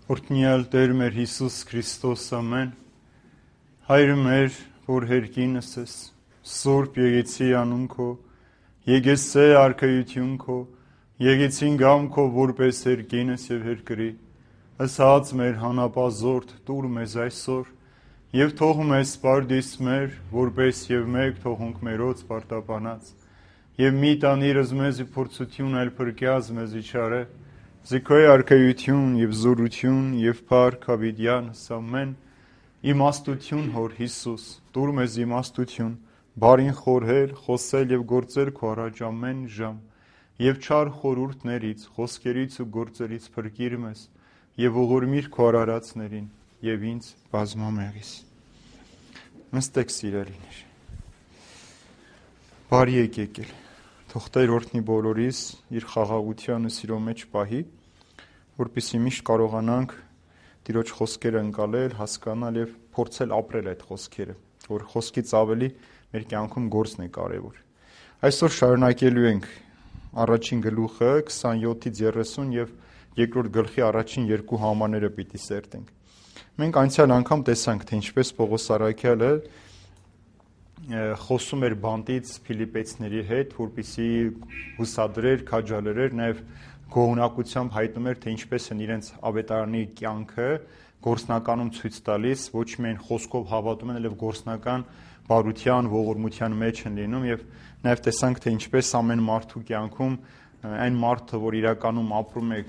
Օրհնյալ Տեր մեր Հիսուս Քրիստոս ամեն, Հայր մեր, որ հերկինս ես, Սուրբ եկեցի անուն քո, եկեցե արքայություն քո, եկեցին գամ քո որպես հերկինս եւ հերկրի, ըսած մեր հանապազորդ տուր մեզ այսօր, եւ թող մեզ սպարդիս մեր, որպես եւ մեկ թողունք մերոց պարտապանած, եւ մի տանիրս մեզի փորձություն այլ փրկյազ մեզի չարե, Զիքոյ արքայություն եւ զորություն եւ փառք հավիտյանս ամեն իմաստություն հոր Հիսուս տուր մեզ իմաստություն բարին խորհել խոսել եւ գործել քո առաջ ամեն ժամ եւ չար խորհուրդներից խոսքերից ու գործերից փրկիր մեզ եւ ողորմիր քո արարածներին եւ ինձ բազմամեղիս նստեք սիրելիներ բարի եկել Թող Տեր օրհնի բոլորիս իր խաղաղությանը սիրո մեջ պահի, որպեսզի միշտ կարողանանք Տիրոջ խոսքերը ընկալել, հասկանալ եւ փորձել ապրել այդ խոսքերը, որ խոսքից ավելի մեր կյանքում գործն է կարեւոր։ Այսօր շարունակելու ենք առաջին գլուխը 27-ից 30 եւ երկրորդ գլխի առաջին երկու համարները պիտի սերտենք։ Մենք անցյալ անգամ տեսանք, թե ինչպես Պողոս Առաքյալը խոսում էր բանտից Ֆիլիպեցիների հետ, որպեսզի հուսադրեր, քաջալերեր, նաև գոհունակությամբ հայտնում էր, թե ինչպես են իրենց ավետարանի կյանքը գործնականում ցույց տալիս, ոչ միայն խոսքով հավատում են, այլև գործնական բարության, ողորմության մեջ են լինում եւ նաև տեսանք, թե ինչպես ամեն մարդու կյանքում այն մարդը, որ իրականում ապրում է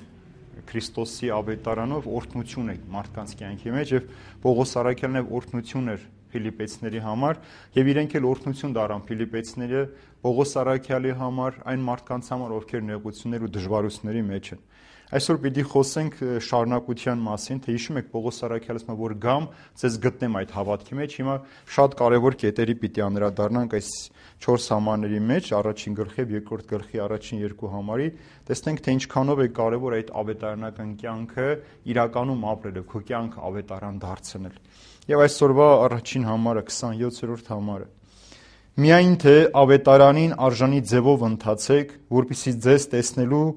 Քրիստոսի ավետարանով, օրհնություն է մարդկանց կյանքի մեջ եւ Պողոս Առաքյալն նաև օրհնություն էր Ֆիլիպեցիների համար եւ իրենք էլ օրհնություն դարան Ֆիլիպեցիները Պողոս Առաքյալի համար, այն մարդկանց համար, ովքեր նեղություններ ու դժվարությունների մեջ են։ Այսօր պիտի խոսենք շարունակության մասին, թե հիշում եք Պողոս Առաքյալը ասում է, որ գամ, ցեզ գտնեմ այդ հավատքի մեջ։ Հիմա շատ կարևոր կետերի պիտի անդրադառնանք այս 4 համարների մեջ, առաջին գլխի եւ երկրորդ գլխի առաջին երկու համարի, տեսնենք թե ինչքանով է կարևոր այդ ավետարանական կյանքը իրականում ապրելը, քո կյանքը ավետարան դարձնել։ Եվ այսօրվա առաջին համարը 27-րդ համարը։ Միայն թե ավետարանին արժանի ձևով ընթացեք, որպեսզի ձեզ տեսնելու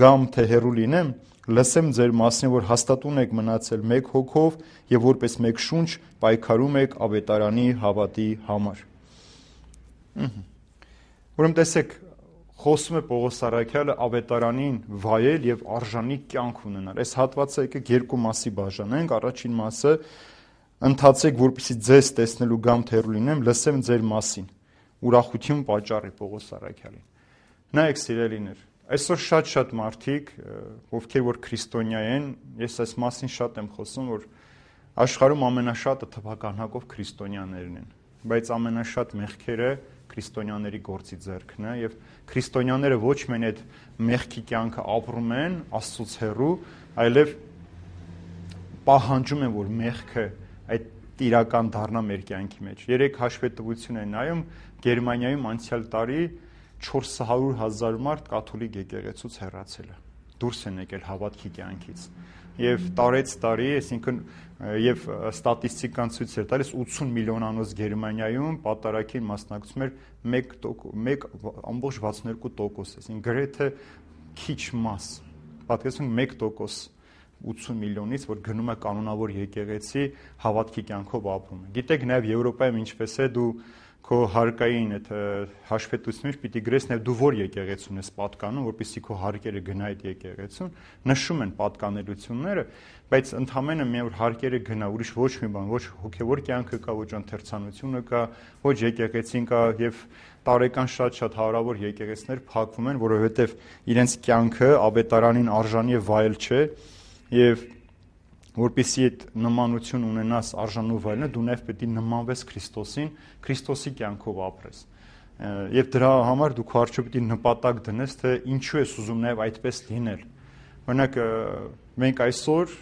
գամ թե հեռու լինեմ, լսեմ ձեր մասին, որ հաստատուն եք մնացել մեկ հոգով եւ որպես մեկ շունչ պայքարում եք ավետարանի հավատի համար։ Ուրեմն տեսեք, խոսում է Պողոս Առաքյալը ավետարանին վայել եւ արժանի կյանք ունենալ։ Այս հատվածը եկեք երկու մասի բաժանենք, առաջին մասը ընթացեք, որպեսզի ձեզ տեսնելու գամ թե հեռու լինեմ, լսեմ ձեր մասին։ Ուրախություն պատճառի Պողոս Առաքյալին։ Նայեք սիրելիներ, այսօր շատ մարդիկ, ովքեր որ քրիստոնյա են, ես այս մասին շատ եմ խոսում, որ աշխարհում ամենաշատը թվականակով քրիստոնյաներն են, բայց ամենաշատ մեղքերը քրիստոնյաների գործի ձեռքն է եւ քրիստոնյաները ոչ միայն այդ մեղքի կյանքը ապրում են Աստծուց հեռու, այլև պահանջում են, որ մեղքը այդ իրական դառնա մեր կյանքի մեջ։ Երեք հաշվետվություն են նայում, Գերմանիայում անցյալ տարի 400,000 մարդ կաթոլիկ եկեղեցուց հեռացել է, դուրս են եկել հավատքի կյանքից։ Եվ տարեց տարի, այսինքն եւ ստատիստիկան ցույց էր տալիս 80 միլիոնանոց Գերմանիայում պատարագին մասնակցում էր 1.62%, այսինքն գրեթե քիչ մաս, պատկերացնեք 1% 80 միլիոնից, որ գնում է կանոնավոր եկեղեցի հավատքի կյանքով ապրում է։ Գիտեք նաև Եվրոպայում ինչպես է, դու քո հարկային այդ հաշվետվությունից պիտի գրես նաև դու որ եկեղեցուն ես պատկանում, որպեսզի քո հարկերը գնա այդ եկեղեցուն, նշում են պատկանելությունները, բայց ընդհանրապես միայն որ հարկերը գնա, ուրիշ ոչ մի բան, ոչ հոգևոր կյանքը կա, ոչ ընթերցանությունը կա, ոչ եկեղեցին կա եւ տարեկան շատ հարավոր եկեղեցիներ փակվում են, որովհետեւ իրենց կյանքը ավետարանին արժանի եւ վայել չէ եւ որպեսզի այդ նմանություն ունենաս արժանու վայելը, դու նաև պետք է նմանվես Քրիստոսին, Քրիստոսի կյանքով ապրես։ Եվ դրա համար դու քո առջև պետք է նպատակ դնես, թե ինչու ես ուզում նաև այդպես լինել։ Օրինակ, մենք այսօր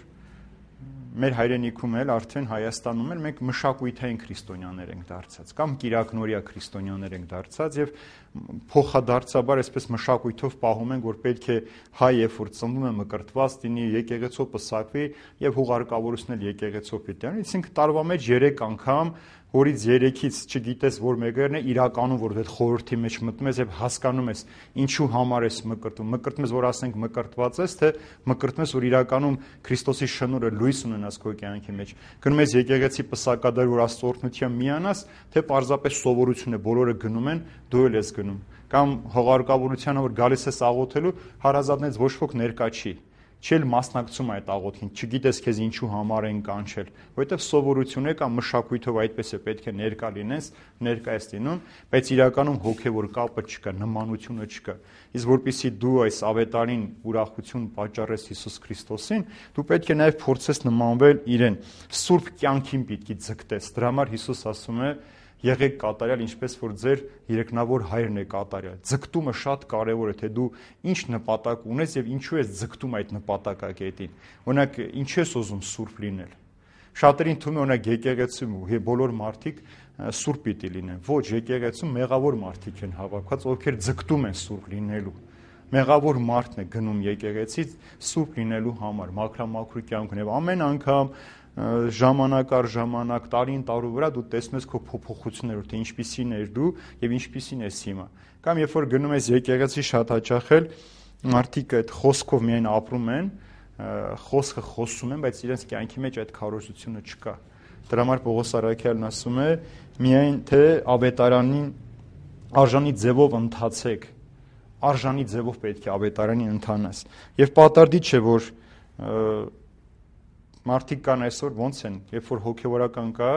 մեր հայրենիքում էլ արդեն Հայաստանում էլ մենք մշակույթային քրիստոնյաներ ենք դարձած կամ կիրակնորյա քրիստոնյաներ ենք դարձած եւ փոխադարձաբար այսպես մշակույթով պահում ենք, որ պետք է հայ երբ որ ծնվում է մկրտված լինի, եկեղեցով պսակվի եւ հուղարկավորությունն էլ եկեղեցով պետք է լինի, այսինքն տարվա մեջ 3 անգամ որից 3-ից չգիտես որ մեկերն է իրականում որ այդ խորհրդի մեջ մտնում ես եւ հասկանում ես ինչու համար ես մկրտում ես որ ասենք մկրտված ես թե մկրտում ես որ իրականում Քրիստոսի շնորհը լույս ունենաս քո կյանքի մեջ գնում ես եկեղեցի պսակադար որ Աստծո օրհնությամբ միանաս թե պարզապես սովորություն է բոլորը գնում են դու էլ ես գնում կամ հողարկավորությանը որ գալիս ես աղոթելու հարազատներից ոչ ոք ներկա չի Չել մասնակցում այդ աղոթքին, չգիտես քեզ ինչու համար են կանչել, որովհետև սովորություն է կամ մշակույթով այդպես է պետք է ներկա լինես, ներկա ես լինում, բայց իրականում հոգևոր կապը չկա, նմանությունը չկա։ Իսկ որpիսի դու այս ավետարին ուրախություն պատճառես Հիսուս Քրիստոսին, դու պետք է նաև փորձես նմանվել իրեն, սուրբ կյանքին պիտի ձգտես։ Դրա համար Հիսուս ասում է Եղեք կատարյալ, ինչպես որ ձեր երեքնավոր հայրն է կատարյալ։ Ձգտումը շատ կարևոր է, թե դու ինչ նպատակ ունես եւ ինչու ես ձգտում այդ նպատակակետին։ Օրինակ, ինչու ես ուզում սուրբ լինել։ Շատերին թվում է օրինակ եկեղեցում բոլոր մարդիկ սուրբ պիտի լինեն։ Ոչ, եկեղեցում մեղավոր մարդիկ են հավաքված, ովքեր ձգտում են սուրբ լինելու։ Մեղավոր մարդն է գնում եկեղեցից սուրբ լինելու համար, մաքրամաքրու կյանքն եւ ամեն անգամ ժամանակ առ ժամանակ, տարին տարու վրա դու տեսնում ես քո փոփոխությունները, թե ինչպիսին ես դու եւ ինչպիսին ես հիմա։ Կամ երբ որ գնում ես եկեղեցի շատ հաճախ էլ մարդիկ այդ խոսքով միայն ապրում են, խոսքը խոսում են, բայց իրենց կյանքի մեջ այդ քարոզությունը չկա։ Դրա համար Պողոս Արաքյալն ասում է, միայն թե ավետարանին արժանի ձևով ընթացեք, արժանի ձևով պետք է ավետարանին ընթանաս։ Եվ պատարդի չէ, որ մարդիկ կան այսօր ոնց են, երբ որ հոգևորական կա,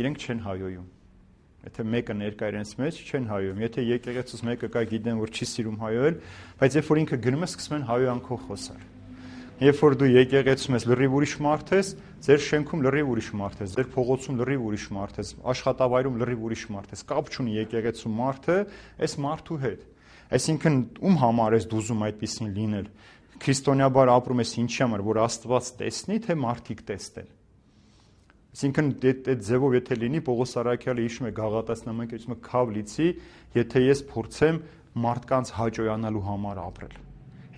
իրենք չեն հայոյում։ Եթե մեկը ներկա իրենց մեջ չեն հայոյում։ Եթե եկեղեցուց մեկը կա գիտեն, որ չի սիրում հայոյել, բայց երբ որ ինքը գնում է, սկսում են հայոյանքով խոսալ։ Երբ որ դու եկեղեցում ես լրիվ ուրիշ մարդ ես, ձեր շենքում լրիվ ուրիշ մարդ ես, ձեր փողոցում լրիվ ուրիշ մարդ ես, աշխատավայրում լրիվ ուրիշ մարդ ես, կապ չունի եկեղեցու մարդը այս մարդու հետ։ Այսինքն ում համար ես դու ուզում այդպեսին լինել։ Քրիստոնեաբար ապրում ես ինչի համար, որ Աստված տեսնի, թե մարդիկ տեսնեն։ Այսինքն այդ ձևով եթե լինի, Պողոս Արաքյալը հիշում է Գաղատացի նամակում քավ լիցի, եթե ես փորձեմ մարդկանց հաճոյանալու համար ապրել։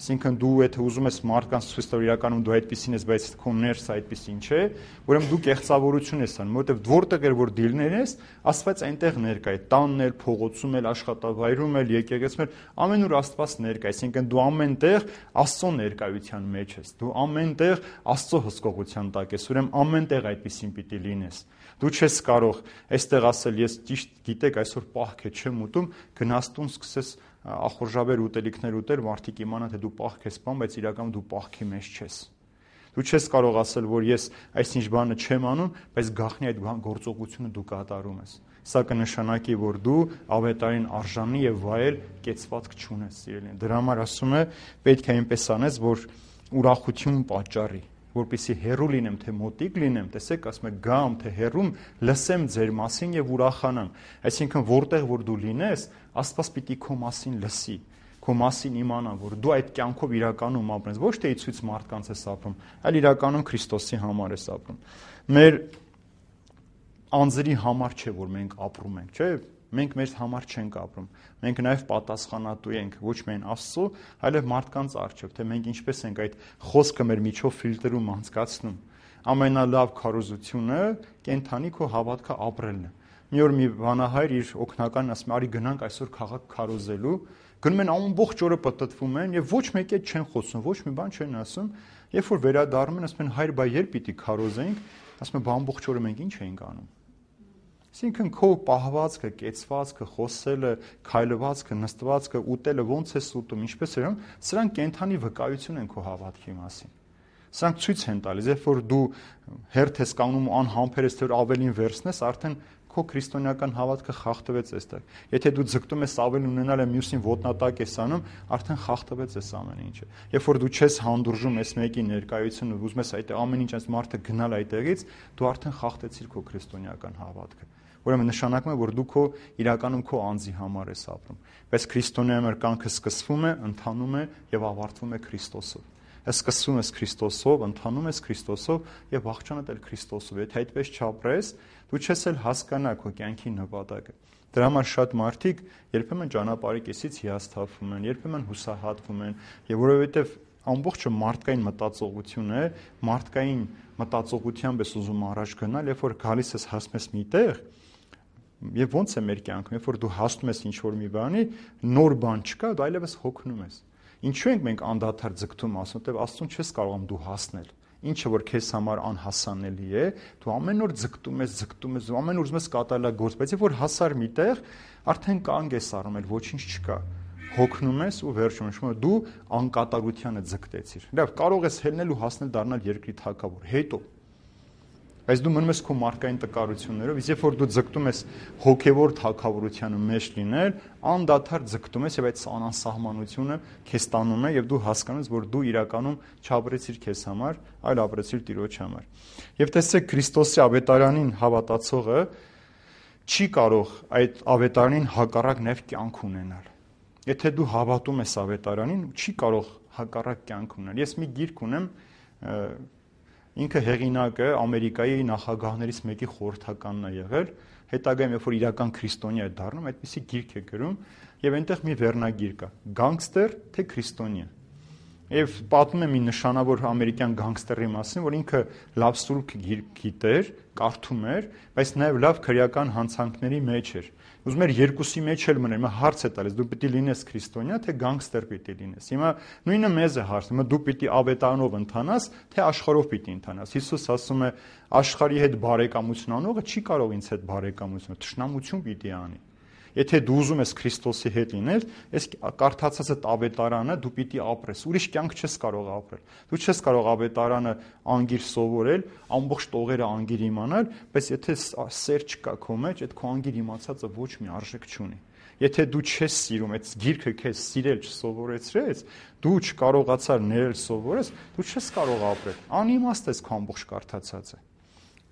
Այսինքն դու եթե ուզում ես մարդկանց ցույց տալ իրականում դու այդպեսին ես, բայց քո ներսը այդպեսին չէ, ուրեմն դու կեղծավորություն ես անում, որովհետև որտեղ էր որ դիլներ ես, Աստված այնտեղ ներկա է, տանն էլ, փողոցում էլ, աշխատավայրում էլ, եկեղեցում էլ, ամենուր Աստված ներկա է, այսինքն դու ամենտեղ Աստծո ներկայության մեջ ես, դու ամենտեղ Աստծո հսկողության տակ ես, ուրեմն ամենտեղ այդպեսին պիտի լինես։ Դու չես կարող այստեղ ասել ես ճիշտ գիտեք այսօր պահք է չեմ ուտում, գնաս տուն սկսես ախորժաբեր ուտելիքներ ուտել, մարդիկ իմանան թե դու պահք ես բան, բայց իրականում դու պահքի մեջ չես։ Դու չես կարող ասել, որ ես այսինչ բանը չեմ անում, բայց գաղտնի այդ գործողությունը դու կատարում ես։ Սա կնշանակի, որ դու ավետարին արժանի եւ վայել կեցվածք չունես, սիրելին։ Դրա համար ասում է, պետք է այնպես անես, որ ուրախություն պատճառի, որպեսզի հեռու լինեմ, թե մոտիկ լինեմ, տեսեք, ասում է գամ, թե հեռում լսեմ ձեր մասին եւ ուրախանամ։ Այսինքն որտեղ որ դու լինես, Աստված պիտի քո մասին լսի, քո մասին իմանա, որ դու այդ կյանքով իրականում ապրես, ոչ թե ցույց մարդկանց ես ապրում, այլ իրականում Քրիստոսի համար ես ապրում։ Մեր անձերի համար չէ, որ մենք ապրում ենք, չէ՞։ Մենք մեր համար չենք ապրում։ Մենք նաև պատասխանատու ենք ոչ միայն Աստծո, այլև մարդկանց առջև, թե մենք ինչպես ենք այդ խոսքը մեր միջով ֆիլտրում անցկացնում։ Ամենալավ քարոզությունը կենթանի քո հավատքը ապրելն է։ Մի օր մի վանահայր իր օգնականին ասում է՝ «Արի գնանք այսօր քաղաք քարոզելու»։ Գնում են ամբողջ օրը պտտվում են եւ ոչ մեկի հետ չեն խոսում, ոչ մի բան չեն ասում։ Երբ որ վերադառնում են, ասում են՝ «Հայր, բայ երբ պիտի քարոզենք»։ Ասում են՝ «Բա ամբողջ օրը մենք ինչ էինք անում»։ Այսինքն քո պահվածքը, կեցվածքը, խոսելը, քայլվածքը, նստվածքը, ուտելը ոնց է ուտում, ինչպես է, սրանք կենթանի վկայություն են քո հավատքի մասին։ Սրանք ցույց են տալիս, երբ որ դու հերթ ես կանգնում ու անհամբեր ես, թե ավելին վերցնես, արդեն քո քրիստոնեական հավատքը խախտվեց այստեղ։ Եթե դու ձգտում ես ավելի ունենալ, մյուսին ոտնատակ ես անում, արդեն խախտվեց այս ամեն ինչը։ Երբ որ դու չես հանդուրժում այս մեկի ներկայությունը, ուզում ես այդ ամեն ինչ այս մարդը գնալ այդտեղից, դու արդեն խախտեցիր քո քրիստոնեական հավատքը։ Ուրեմն նշանակում է, որ դու քո իրականում քո անձի համար ես ապրում։ Բայց քրիստոնեական կյանքը սկսվում է, ընթանում է եւ ավարտվում է Քրիստոսով։ Սկսվում ես Քրիստոսով, ընթանում ես Քրիստոսով եւ վախճանդ էլ Քրիստոսով։ Եթե այդպես չապրես, դու չես էլ հասկանա քո կյանքի նպատակը։ Դրա համար շատ մարդիկ երբեմն ճանապարհի կեսից հիասթափվում են, երբեմն հուսահատվում են, եւ որովհետեւ ամբողջը մարդկային մտածողություն է, մարդկային մտածողությամբ ես ուզում առաջ գնալ, երբ որ գալիս ես հասնես միտեղ, Եվ ո՞նց է մեր կյանքում, երբ որ դու հասնում ես ինչ-որ մի բանի, նոր բան չկա, դու այլևս հոգնում ես։ Ինչու ենք մենք անդադար ձգտում ասում, թե Աստծուն չես կարողանում դու հասնել։ Ինչը որ քեզ համար անհասանելի է, դու ամեն օր ձգտում ես, ու ամեն օր ուզում ես կատարել գործ, բայց երբ որ հասար միտեղ, արդեն կանգ ես առնում, էլ ոչինչ չկա։ Հոգնում ես ու վերջում դու անկատարությանը ձգտեցիր։ Լավ, կարող ես հելնել ու հասնել դառնալ երկրի թագավոր, հետո բայց դու մնում ես քո մարդկային տկարություններով, իսկ երբ որ դու ձգտում ես հոգևոր թագավորության մեջ լինել, անդադար ձգտում ես եւ այդ անասահմանությունը քեզ տանում է եւ դու հասկանում ես, որ դու իրականում չապրեցիր քեզ համար, այլ ապրեցիր Տիրոջ համար։ Եվ տեսեք, Քրիստոսի ավետարանին հավատացողը չի կարող այդ ավետարանին հակառակ նաև կյանք ունենալ։ Եթե դու հավատում ես ավետարանին, չի կարող հակառակ կյանք ունենալ։ Ես մի գիրք ունեմ, ինքը հեղինակը Ամերիկայի նախագահներից մեկի խորհրդականն է եղել, հետագայում երբ որ իրական քրիստոնյա է դառնում, այդպիսի գիրք է գրում եւ այնտեղ մի վերնագիր կա՝ գանգստեր թե քրիստոնյա։ Եվ պատմում է մի նշանավոր ամերիկյան գանգստերի մասին, որ ինքը լավ սուրբ գիրք գիտեր, կարդում էր, բայց նաև լավ քրեական հանցանքների մեջ էր։ Ուզում էր երկուսի մեջ էլ մներ, հիմա հարց է տալիս, դու պիտի լինես քրիստոնյա, թե գանգստեր պիտի լինես։ Հիմա նույնը մեզ է հարցնում, հիմա դու պիտի ավետարանով ընթանաս, թե աշխարհով պիտի ընթանաս։ Հիսուս ասում է, աշխարհի հետ բարեկամություն անողը չի կարող ինձ հետ բարեկամություն, թշնամություն պիտի անի։ Եթե դու ուզում ես Քրիստոսի հետ լինել, այս կարդացած այդ ավետարանը դու պիտի ապրես, ուրիշ կյանք չես կարող ապրել։ Դու չես կարող ավետարանը անգիր սովորել, ամբողջ տողերը անգիր իմանալ, բայց եթե սեր չկա քո մեջ, այդ քո անգիր իմացածը ոչ մի արժեք չունի։ Եթե դու չես սիրում, այդ գիրքը քեզ սիրել չսովորեցրեց, դու չկարողացար ներել սովորես, դու չես կարող ապրել։ Անիմաստ ես քո ամբողջ կարդացածը։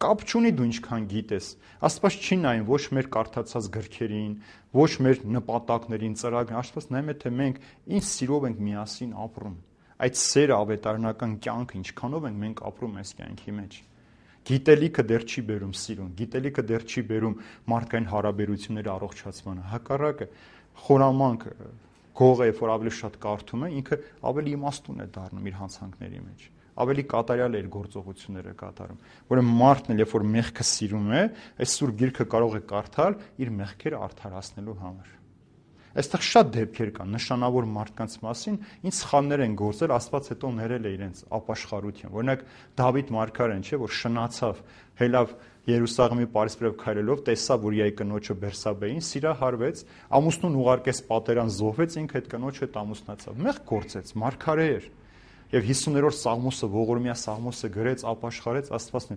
Կապ չունի դու ինչքան գիտես։ Աստված չի նայում ոչ մեր կարդացած գրքերին, ոչ մեր նպատակներին, ծրագրերին, Աստված նայում է, թե մենք ինչ սիրով ենք միասին ապրում։ Այդ սերը ավետարանական կյանքը ինչքանով ենք մենք ապրում այս կյանքի մեջ։ Գիտելիքը դեռ չի բերում սիրուն, գիտելիքը դեռ չի բերում մարդկային հարաբերությունների առողջացմանը։ Հակառակը, խորամանկ գողը, երբ որ ավելի շատ կարդում է, ինքը ավելի իմաստուն է դառնում իր հանցանքների մեջ։ Ավելի կատարյալ է իր գործողությունները կատարում։ Որը մարդն էլ երբ որ մեղքը սիրում է, այս սուրբ գիրքը կարող է կարդալ իր մեղքերը արդարացնելու համար։ Այստեղ շատ դեպքեր կան նշանավոր մարդկանց մասին, ինչ սխալներ են գործել, Աստված հետո ներել է իրենց ապաշխարության։ Օրինակ Դավիթ մարգարեն, չէ, որ շնացավ, հելավ Երուսաղեմի պարիսպրև քայլելով, տեսավ, որ իր կնոջը Բերսաբեին սիրահարվեց, ամուսնուն ուղարկեց պատերան զոհվեց, ինքը այդ կնոջ հետ ամուսնացավ։ Մեղք գործեց, մարգարե էր։ Եվ 50-րդ Սաղմոսը, ողորմյա Սաղմոսը գրեց, ապաշխարեց Աստվածն։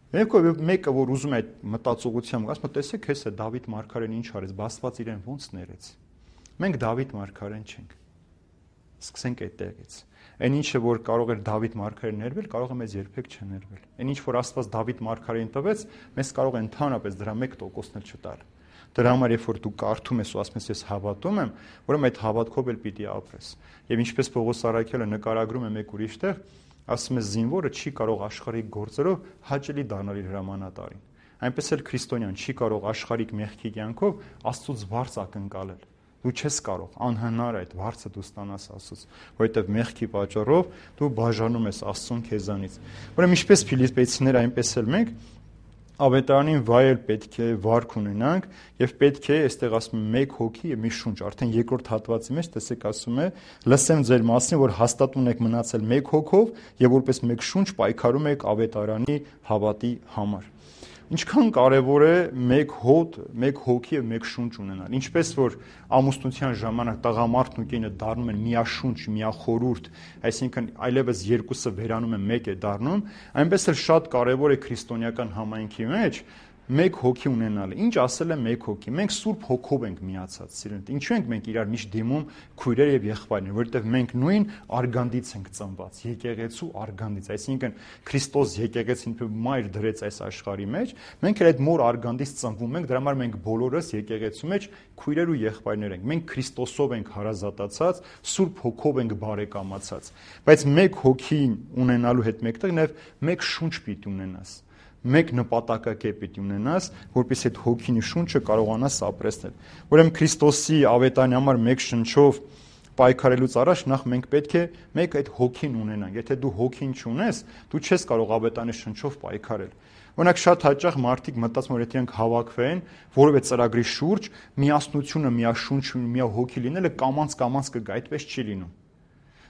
Մեկը, որ ուզում է այդ մտածողությամբ, ասում է, տեսեք, հեսա Դավիթ մարգարեն ինչ արեց, Աստված իրեն ոնց ներեց։ Մենք Դավիթ մարգարեն չենք։ Սկսենք այդտեղից։ Այն ինչը, որ կարող էր Դավիթ մարգարեն ներվել, կարող է մեզ երբեք չներվել։ Այն ինչ, որ Աստված Դավիթ մարգարեին տվեց, մեզ կարող է ընդհանրապես դրա 1%-ն էլ չտալ։ Դրա համար, երբ որ դու կարդում ես ու ասում ես ես հավատում եմ, ուրեմն այդ հավատքով էլ պիտի ապրես։ Եվ ինչպես Պողոս Առաքյալը նկարագրում է մեկ ուրիշ տեղ, ասում է զինվորը չի կարող աշխարհիկ գործերով հաճելի դառնալ իր հրամանատարին։ Այնպես էլ քրիստոնյան չի կարող աշխարհիկ մեղքի կյանքով Աստծուց բարձ ակնկալել։ Դու չես կարող, անհնար է այդ բարձը դու ստանաս Աստծուց, որովհետև մեղքի պատճառով դու բաժանում ես Աստծուն քեզանից։ Ուրեմն ինչպես Ֆիլիպպեցիներ, այնպես էլ մենք ավետարանին վայել պետք է վարք ունենանք եւ պետք է, այստեղ ասում է, մեկ հոգի եւ մի շունչ, արդեն երկրորդ հատվածի մեջ տեսեք ասում է, լսեմ ձեր մասին, որ հաստատուն եք մնացել մեկ հոգով եւ որպես մեկ շունչ պայքարում եք ավետարանի հավատի համար։ Ինչքան կարևոր է մեկ հոտ, մեկ հոգի եւ մեկ շունչ ունենալ։ Ինչպես որ ամուսնության ժամանակ տղամարդն ու կինը դառնում են միաշունչ, միախորուրդ, այսինքն այլևս երկուսը վերանում են մեկ է դառնում, այնպես էլ շատ կարևոր է քրիստոնեական համայնքի մեջ մեկ հոգի ունենալը։ Ինչ ասել է մեկ հոգի։ Մենք Սուրբ Հոգով ենք միացած, սիրելիներ։ Ինչու ենք մենք իրար միշտ դիմում քույրեր եւ եղբայրներ, որովհետեւ մենք նույն արգանդից ենք ծնված, եկեղեցու արգանդից, այսինքն Քրիստոս եկեղեցին մայր դրեց այս աշխարհի մեջ, մենք էլ այդ մոր արգանդից ծնվում ենք, դրա համար մենք բոլորս եկեղեցու մեջ քույրեր ու եղբայրներ ենք։ Մենք Քրիստոսով ենք հարազատացած, Սուրբ Հոգով ենք բարեկամացած։ Բայց մեկ հոգի ունենալու հետ մեկտեղ նաեւ մեկ շունչ պիտի ունենաս։ Մեկ նպատակակետ պիտի ունենաս, որպես այդ հոգին շունչը կարողանաս ապրեսնել։ Ուրեմն Քրիստոսի ավետարանի համար մեկ շնչով պայքարելուց առաջ նախ մենք պետք է մեկ այդ հոգին ունենանք։ Եթե դու հոգին չունես, դու չես կարող ավետարանի շնչով պայքարել։ Օրինակ շատ հաճախ մարդիկ մտածում որ եթե իրենք հավաքվեն որևէ ծրագրի շուրջ, միասնությունը, միաշունչ, միահոգի լինելը կամաց կգա, այդպես չի լինում։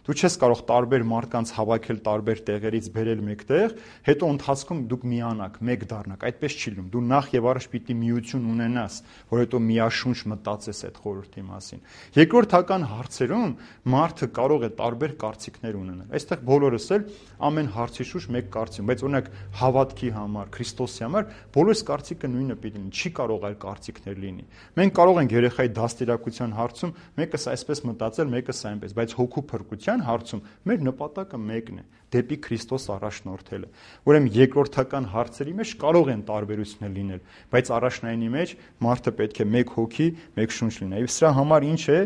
Դու չես կարող տարբեր մարդկանց հավաքել տարբեր տեղերից բերել մեկտեղ, հետո ընթացքում դուք միանաք, մեկ դառնաք, այդպես չի լինում։ Դու նախ եւ առաջ պիտի միություն ունենաս, որ հետո միաշունչ մտածես այդ խորհրդի մասին։ Երկրորդական հարցերում մարդը կարող է տարբեր կարծիքներ ունենալ։ Այստեղ բոլորս էլ ամեն հարցի շուրջ մեկ կարծիք, բայց օրինակ հավատքի համար, Քրիստոսի համար բոլորս կարծիքը նույնը պիտի լինի, չի կարող այլ կարծիքներ լինի։ Մենք կարող ենք երեխայի դաստիարակության հարցում մեկս այսպես մտածել, մեկս այնպես, բայց հոգու փրկության հարցում մեր նպատակը մեկն է՝ դեպի Քրիստոս առաջնորդելը։ Ուրեմն երկրորդական հարցերի մեջ կարող են տարբերություններ լինել, բայց առաջնայինի մեջ մարդը պետք է մեկ հոգի, մեկ շունչ լինի։ Եվ սրա համար ինչ է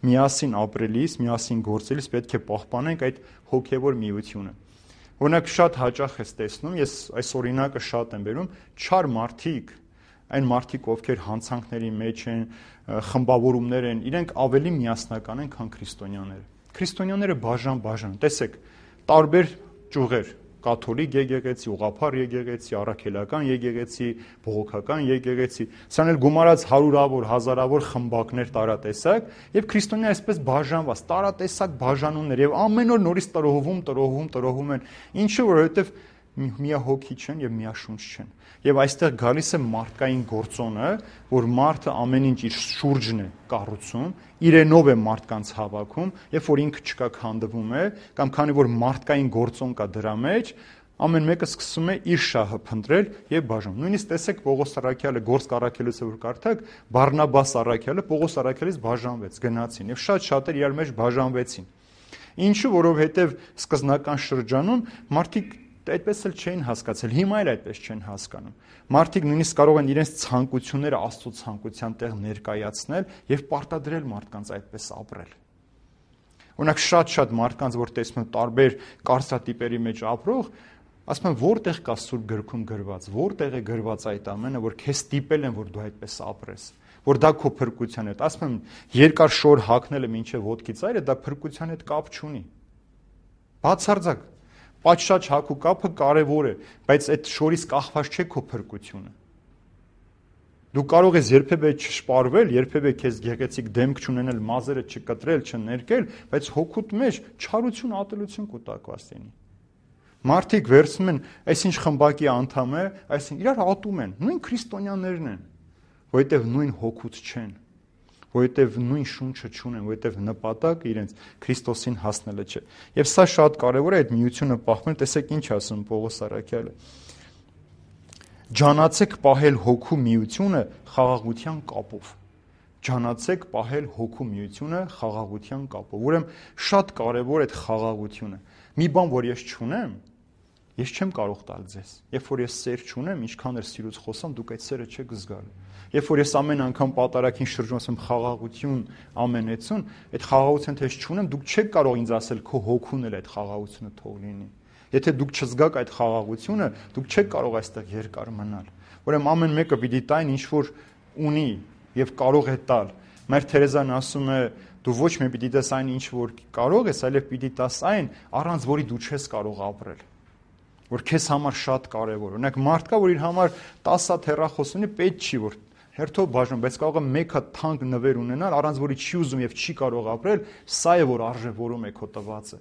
միասին ապրելիս, միասին գործելիս պետք է պահպանենք այդ հոգևոր միությունը։ Օրինակ շատ հաճախ ես տեսնում, ես այս օրինակը շատ եմ բերում, չար մարդիկ, այն մարդիկ, ովքեր հանցանքների մեջ են, խմբավորումներ են, իրենք ավելի միասնական են, քան քրիստոնյաները։ Քրիստոնյաները բաժան, տեսեք, տարբեր ճյուղեր, կաթոլիկ եկեղեցի, ուղղափառ եկեղեցի, առաքելական եկեղեցի, բողոքական եկեղեցի, սրանք էլ գումարած հարյուրավոր, հազարավոր խմբակներ տարատեսակ, եւ քրիստոնյա այսպես բաժանված, տարատեսակ բաժանումներ եւ ամեն օր նորից տրոհվում են, ինչը որովհետեւ միահոգի չեն եւ միաշունչ չեն։ Եվ այստեղ գալիս է մարդկային գործոնը, որ մարդը ամեն ինչ իր շուրջն է կառուցում, իրենով է մարդկանց հավաքում, երբ որ ինքը չկա քանդվում է, կամ քանի որ մարդկային գործոն կա դրա մեջ, ամեն մեկը սկսում է իր շահը փնտրել եւ բաժանում։ Նույնիսկ տեսեք Պողոս Առաքյալը գործք առաքելուց որ կարդաք, Բարնաբաս Առաքյալը Պողոս Առաքյալից բաժանվեց, գնացին եւ շատ-շատեր իրար մեջ բաժանվեցին։ Ինչու, որովհետեւ սկզբնական շրջանում մարդիկ այդպես էլ չէին հասկացել, հիմա էլ այդպես չեն հասկանում։ Մարդիկ նույնիսկ կարող են իրենց ցանկությունները Աստծո ցանկության տեղ ներկայացնել եւ պարտադրել մարդկանց այդպես ապրել։ Օրինակ շատ մարդկանց, որ տեսնում են տարբեր կարծրատիպերի մեջ ապրող, ասում են որտեղ կա Սուրբ գրքում գրված, որտեղ է գրված այդ ամենը, որ քեզ ստիպել են, որ դու այդպես ապրես, որ դա քո փրկության հետ։ Ասում են երկար շոր հագնելը մինչև ոտքի ծայրը դա փրկության հետ կապ չունի։ Բացարձակ Պատշաճ հագու կապը կարևոր է, բայց այդ շորից կախված չէ քո փրկությունը։ Դու կարող ես երբևէ չշպարվել, երբևէ քեզ գեղեցիկ դեմք չունենալ, մազերը չկտրել, չներկել, բայց հոգուտ մեջ չարություն, ատելություն կուտակված լինի։ Մարդիկ վերցնում են, այսինչ խմբակի անդամ է, այսինչ իրար ատում են, նույն քրիստոնյաներն են, որովհետև նույն հոգուց չեն, որովհետև նույն շունչը չունեն, որովհետև նպատակը իրենց Քրիստոսին հասնելը չէ։ Եվ սա շատ կարևոր է այդ միությունը պահպանել, տեսեք ինչ ասում Պողոս Առաքյալը։ Ջանացեք պահել հոգու միությունը խաղաղության կապով։ Ջանացեք պահել հոգու միությունը խաղաղության կապով։ Ուրեմն շատ կարևոր է այդ խաղաղությունը։ Մի բան, որ ես չունեմ, ես չեմ կարող տալ ձեզ։ Երբ որ ես սեր չունեմ, ինչքան էլ սիրուց խոսամ, դուք այդ սերը չեք զգալու։ Երբ որ ես ամեն անգամ պատարագին շրջում ասեմ խաղաղություն, ամենեցուն, այդ խաղաղությունը ես չունեմ, դուք չեք կարող ինձ ասել քո հոգուն էլ այդ խաղաղությունը թող լինի։ Եթե դուք չզգաք այդ խաղաղությունը, դուք չեք կարող այստեղ երկար մնալ։ Ուրեմն ամեն մեկը պիտի տային ինչ որ ունի եւ կարող է տալ։ Մեր Թերեզան ասում է դու ոչ մի պիտի տես այն ինչ որ կարող ես, այլև պիտի տաս այն, առանց որի դու չես կարող ապրել։ Որ քեզ համար շատ կարևոր։ Օրինակ մարդ կա, որ իր համար 10 հատ հեռախոս ունի, պետք չի որ հերթով բաժան, բայց կարող է մեկ հատ թանկ նվեր ունենալ, առանց որի չի ուզում եւ չի կարող ապրել, սա է որ արժևորում է քո տվածը։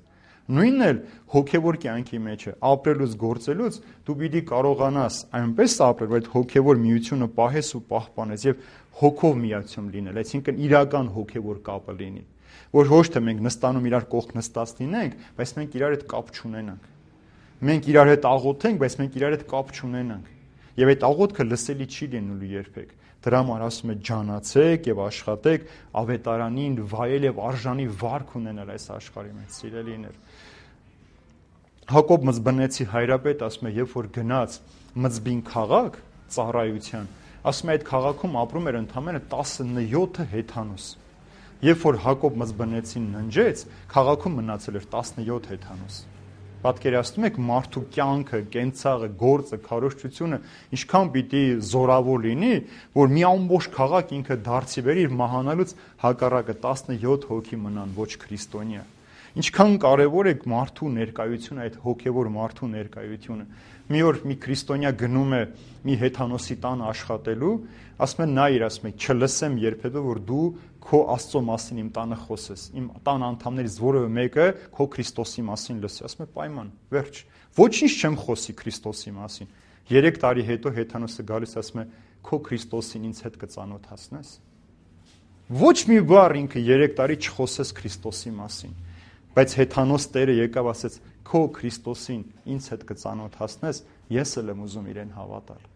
Նույնն էլ հոգևոր կյանքի մեջ է, ապրելուց գործելուց դու պիտի կարողանաս այնպես ապրել, որ այդ հոգևոր միությունը պահես ու պահպանես եւ հոգով միացում լինել, այսինքն իրական հոգևոր կապը լինի, որ ոչ թե մենք նստանում իրար կողք նստած լինենք, բայց մենք իրար հետ կապ չունենանք։ Մենք իրար հետ աղոթենք, բայց մենք իրար հետ կապ չունենանք։ Եվ այդ աղոթքը լսելի չի լինելու երբեք։ Դրա համար ասում է ջանացեք եւ աշխատեք ավետարանին վայել եւ արժանի վարք ունենալ այս աշխարհի մեջ, սիրելիներ։ Հակոբ Մզբնեցի հայրապետ ասում է, երբ որ գնաց Մզբին քաղաք ծառայության, ասում է այդ քաղաքում ապրում էր ընդամենը 17 հեթանոս։ Երբ որ Հակոբ Մզբնեցին ննջեց, քաղաքում մնացել էր 17 հեթանոս։ Պատկերացնում եք մարդու կյանքը, կենցաղը, գործը, քարոզչությունը ինչքան պիտի զորավոր լինի, որ մի ամբողջ քաղաք ինքը դարձի բերի իր մահանալուց հակառակը 17 հոգի մնան ոչ քրիստոնյա։ Ինչքան կարևոր է մարդու ներկայությունը, այդ հոգևոր մարդու ներկայությունը։ Մի օր մի քրիստոնյա գնում է մի հեթանոսի տան աշխատելու, ասում է նայիր, ասում է չլսեմ երբևէ, որ դու քո Աստծո մասին իմ տանը խոսես, իմ տան անդամներից որևէ մեկը քո Քրիստոսի մասին լսի, ասում է պայման, վերջ, ոչինչ չեմ խոսի Քրիստոսի մասին։ 3 տարի հետո հեթանոսը գալիս ասում է քո Քրիստոսին ինձ հետ կծանոթացնես։ Ոչ մի բառ ինքը 3 տարի չխոսես Քրիստոսի մասին, բայց հեթանոս Տերը եկավ ասեց քո Քրիստոսին ինձ հետ կծանոթացնես, ես էլ եմ ուզում իրեն հավատալ։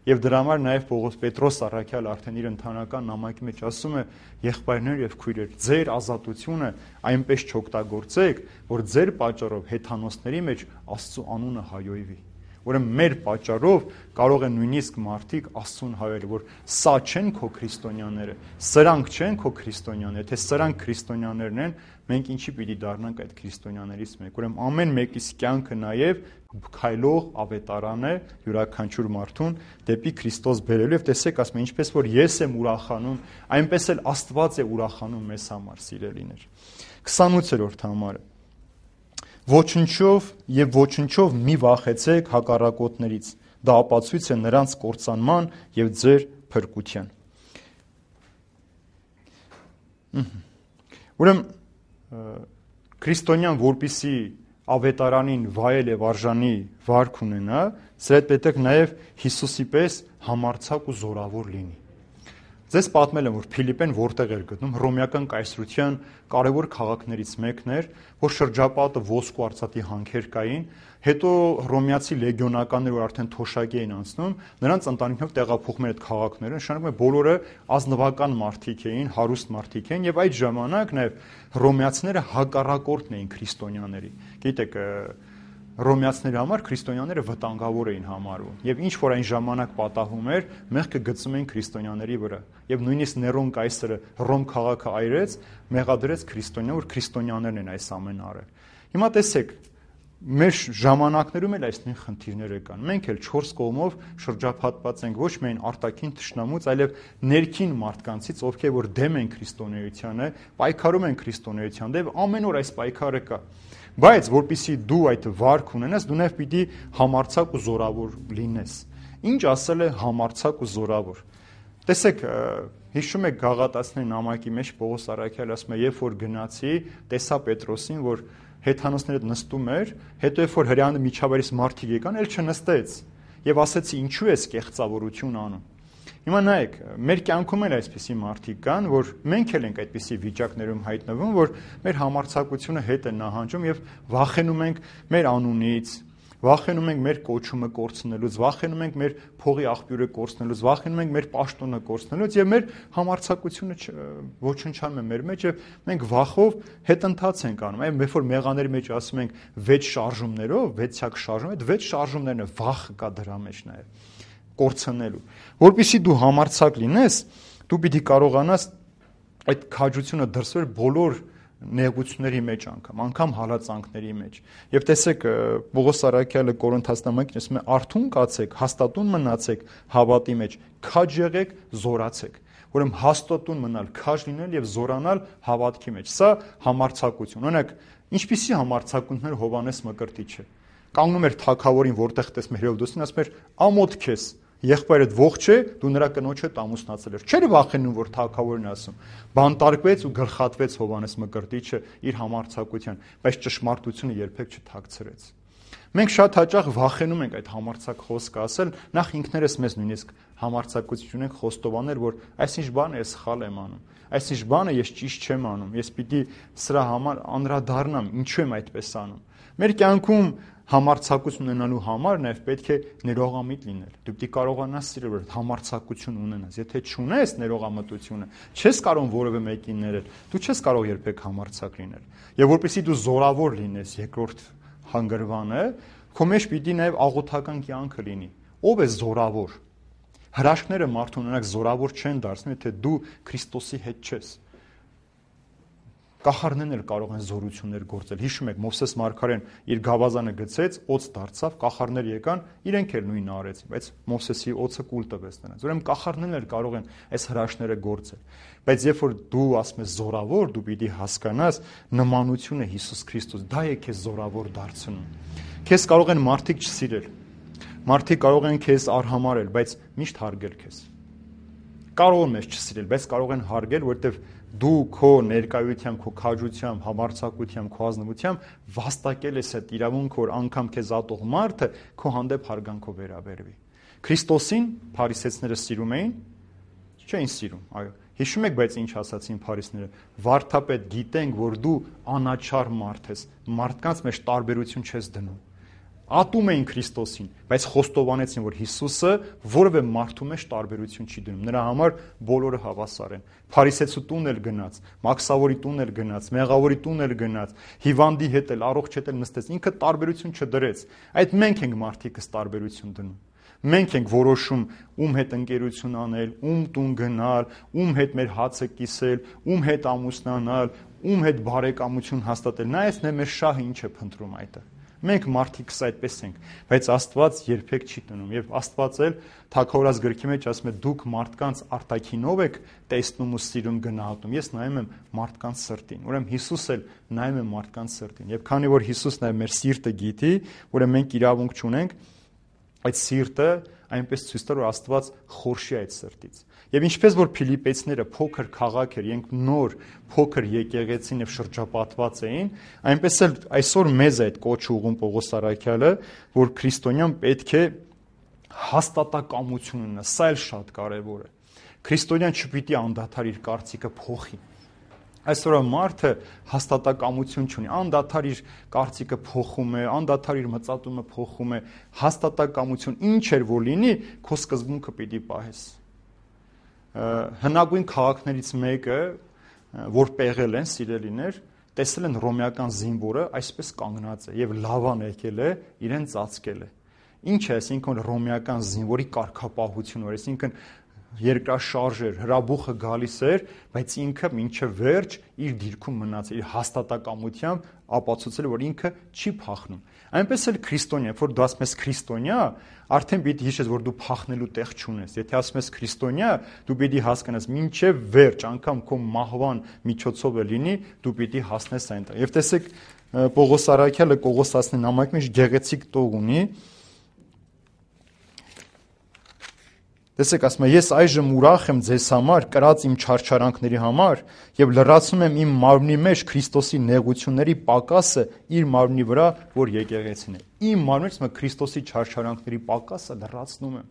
Եվ դրա համար նաև Պետրոս առաքյալ արդեն իր ընթանական նամակի մեջ ասում է. եղբայրներ եւ քույրեր, ձեր ազատությունը այնպես չօգտագործեք, որ ձեր պատճառով հեթանոսների մեջ Աստծո անունը հայոյվի։ Ուրեմն մեր պատճառով կարող են նույնիսկ մարդիկ Աստծուն հայել, որ սա չեն քո քրիստոնյաները, սրանք չեն քո քրիստոնյաները, թե սրանք քրիստոնյաներն են, մենք ինչի պիտի դառնանք այդ քրիստոնյաներից մեկ։ Ուրեմն ամեն մեկիս կյանքը նաև քայլող ավետարան է յուրաքանչյուր մարդուն դեպի Քրիստոս բերելու եւ տեսեք, ասում է, ինչպես որ ես եմ ուրախանում, այնպես էլ Աստված է ուրախանում մեզ համար, սիրելիներ։ 28-րդ համարը Ոչնչով եւ ոչնչով մի վախեցեք հակառակոտներից, դա ապացույց է նրանց կործանման եւ ձեր փրկության։ Ուրեմն քրիստոնյան որպիսի ավետարանին վայել եւ արժանի վարք ունենա, սրա հետ պետք նաեւ Հիսուսի պես համարձակ ու զորավոր լինի։ Ձեզ պատմել եմ, որ Փիլիպեն որտեղ էր գտնում, հռոմեական կայսրության կարևոր քաղաքներից մեկն էր, որ շրջապատը ոսկու արծաթի հանքեր կային, հետո հռոմեացի լեգիոնականները, որ արդեն թոշակի էին անցնում, նրանց ընտանիքով տեղափոխում են այդ քաղաքները, նշանակում է բոլորը ազնվական մարդիկ էին, հարուստ մարդիկ էին, եւ այդ ժամանակ նաեւ հռոմեացիները հակառակորդն էին քրիստոնյաների։ Գիտեք, հռոմեացիների համար քրիստոնյաները վտանգավոր էին համարվում եւ ինչ որ այն ժամանակ պատահում էր, մեղքը գծում էին քրիստոնյաների վրա եւ նույնիսկ Ներոն կայսրը Հռոմ քաղաքը այրեց, մեղադրեց քրիստոնյա, որ քրիստոնյաներն են այս ամենը արել։ Հիմա տեսեք, մեր ժամանակներում էլ այս նույն խնդիրները կան։ Մենք էլ 4 կողմով շրջափակված ենք ոչ միայն արտաքին թշնամուց, այլև ներքին մարդկանցից, ովքեր որ դեմ են քրիստոնեությանը, պայքարում են քրիստոնեության դեմ, ամեն օր այս պայքարը կա։ Բայց որpիսի դու այդ վարք ունենաս, դու նաև պիտի համարձակ ու զորավոր լինես։ Ինչ ասել է համարձակ ու զորավոր։ Տեսեք, հիշում եք Գաղատացիների նամակի մեջ Պողոս առաքյալը ասում է, երբ որ գնացի, տեսա Պետրոսին, որ հեթանոսները նստում էր, հետո երբ որ հրեանը միջավայրից մարդիկ եկան, էլ չնստեց։ Եվ ասեցի, ինչու ես կեղծավորություն անում։ Հիմա նայեք, մեր կյանքում էլ այսպիսի մարդիկ կան, որ մենք էլ ենք այդպիսի վիճակներում հայտնվում, որ մեր համարձակությունը հետ է նահանջում եւ վախենում ենք մեր անունից, վախենում ենք մեր կոչումը կորցնելուց, վախենում ենք մեր փողի աղբյուրը կորցնելուց, վախենում ենք մեր պաշտոնը կորցնելուց եւ մեր համարձակությունը ոչնչանում է մեր մեջ եւ մենք վախով հետընթաց ենք անում։ Այո, երբ որ մեղաների մեջ ասում ենք 6 շարժումներով, 6-յակ շարժում, այդ 6 շարժումներն է վախ կա դրա մեջ նաեւ կորցնելու։ Որպեսզի դու համարձակ լինես, դու պիտի կարողանաս այդ քաջությունը դրսել բոլոր նեղությունների մեջ անգամ հալածանքների մեջ։ Եվ տեսեք, Պողոս առաքյալը Կորինթացիս նամակին ասում է. «Արթուն կացեք, հաստատուն մնացեք հավատի մեջ, քաջ եղեք, զորացեք»։ Ուրեմն հաստատուն մնալ, քաջ լինել եւ զորանալ հավատքի մեջ։ Սա համարձակություն։ Օրինակ, ինչպիսի համարձակություններ Հովհաննես Մկրտիչը կանգնում էր թագավորին, որտեղ տեսնում էր Հերովդոսին, ասում էր. «Ամոթ քեզ, եղբայրդ ողջ է, դու նրա կնոջ հետ ամուսնացել ես»։ Չէր վախենում, որ թագավորն ասում։ Բանտարկվեց ու գլխատվեց Հովհաննես Մկրտիչը իր համարձակության, բայց ճշմարտությունը երբեք չթաքցրեց։ Մենք շատ հաճախ վախենում ենք այդ համարձակ խոսքը ասել, նախ ինքներս մեզ նույնիսկ համարձակություն ենք խոստովանել, որ այսինչ բանը ես սխալ եմ անում, այսինչ բանը ես ճիշտ չեմ անում, ես պիտի սրա համար անդրադառնամ, ինչու եմ այդպես անում։ Մեր կյանքում համարձակություն ունենալու համար նաև պետք է ներողամիտ լինել։ Դու պիտի կարողանաս սիրել, որ համարձակություն ունենաս։ Եթե չունես ներողամտությունը, չես կարող որևէ մեկին ներել, դու չես կարող երբեք համարձակ լինել։ Եվ որպեսզի դու զորավոր լինես, երկրորդ հանգրվանը, քո մեջ պիտի նաև աղոթական կյանքը լինի։ Ո՞վ է զորավոր։ Հրաշքները մարդուն ունենակ զորավոր չեն դարձնում, եթե դու Քրիստոսի հետ չես։ Կախարդներն էլ կարող են զորություններ գործել։ Հիշում եք, Մովսես մարգարեն իր գավազանը գցեց, օձ դարձավ, կախարդներ եկան, իրենք էլ նույնը արեցին, բայց Մովսեսի օձը կուլ տվեց նրանց։ Ուրեմն կախարդներն էլ կարող են այս հրաշքները գործել։ Բայց երբ որ դու ասում ես զորավոր, դու պիտի հասկանաս նմանությունը Հիսուս Քրիստոս, դա է քեզ զորավոր դարձնում։ Քեզ կարող են մարդիկ չսիրել։ Մարդիկ կարող են քեզ արհամարել, բայց միշտ հարգել քեզ։ Կարող են մեզ չսիրել, բայց կարող են հարգել, որովհետև դու քո ներկայությամբ, քո քաջությամբ, համարձակությամբ, քո ազնվությամբ վաստակել ես այդ իրավունքը, որ անգամ քեզ ատող մարդը քո հանդեպ հարգանքով վերաբերվի։ Քրիստոսին փարիսեցիները սիրում էին, չէին սիրում, այո։ Հիշում եք, բայց ինչ ասացին փարիսները։ Վարդապետ, գիտենք, որ դու անաչառ մարդ ես, մարդկանց մեջ տարբերություն չես դնում։ Ատում էին Քրիստոսին, բայց խոստովանեցին, որ Հիսուսը որևէ մարդու մեջ տարբերություն չի դնում։ Նրա համար բոլորը հավասար են։ Փարիսեցու տուն էլ գնաց, Մաքսավորի տուն էլ գնաց, Մեղավորի տուն էլ գնաց, հիվանդի հետ էլ, առողջ հետ էլ նստեց։ Ինքը տարբերություն չդրեց։ Այդ մենք ենք մարդիկս տարբերություն դնում։ Մենք ենք որոշում ում հետ ընկերություն անել, ում տուն գնալ, ում հետ մեր հացը կիսել, ում հետ ամուսնանալ, ում հետ բարեկամություն հաստատել։ Նայես նա մեր շահը ինչ է փնտրում այդտեղ։ Մենք մարդիկս այդպես ենք, բայց Աստված երբեք չի տնում, եւ Աստված էլ Թագավորաց գրքի մեջ ասում է դուք մարդկանց արտաքինով եք տեսնում ու սիրում գնահատում, ես նայում եմ մարդկանց սրտին։ Ուրեմն Հիսուս էլ նայում է մարդկանց սրտին, եւ քանի որ Հիսուսն է մեր սիրտը գիտի, ուրեմն մենք իրավունք չունենք այդ սիրտը այնպես ցույց տալ, որ Աստված խորշի այդ սրտից։ Եվ ինչպես որ Փիլիպեցիները փոքր քաղաք էր, իրենք նոր փոքր եկեղեցին եւ շրջապատված էին, այնպես էլ այսօր մեզ այդ կոչը ուղում Պողոս Արաքյալը, որ քրիստոնյան պետք է հաստատակամություն ունենա, սա էլ շատ կարեւոր է։ Քրիստոնյան չպիտի անդադար իր կարծիքը փոխի։ Այսօր մարդը հաստատակամություն չունի, անդադար իր կարծիքը փոխում է, անդադար իր մտածումը փոխում է, հաստատակամություն ինչ էր որ լինի, քո սկզբունքը պիտի պահես։ Հնագույն քաղաքներից մեկը, որ պեղել են սիրելիներ, տեսել են ռոմեական զինվորը այսպես կանգնած է եւ լավան եկել է, իրեն ծածկել է։ Ինչ է, այսինքն ռոմեական զինվորի կարգապահությունը, այսինքն երկրաշարժ էր, հրաբուխը գալիս էր, բայց ինքը մինչև վերջ իր դիրքում մնաց, իր հաստատակամությամբ ապացուցել, որ ինքը չի փախնում։ Այնպես էլ քրիստոնյա, որ դու ասում ես քրիստոնյա, արդեն պիտի հիշես, որ դու փախնելու տեղ չունես։ Եթե ասում ես քրիստոնյա, դու պիտի հասկանաս, մինչև վերջ, անգամ քո մահվան միջոցով է լինի, դու պիտի հասնես այնտեղ։ Եվ տեսեք, Պողոս Արաքյալը Կողոս 19 նամակի մեջ գեղեցիկ տող ունի։ Տեսեք, ասում է, ես այժմ ուրախ եմ ձեզ համար, կրած իմ չարչարանքների համար եւ լրացնում եմ իմ մարմնի մեջ Քրիստոսի նեղությունների պակասը իր մարմնի վրա, որ եկեղեցին է։ Իմ մարմնից մը Քրիստոսի չարչարանքների պակասը լրացնում եմ,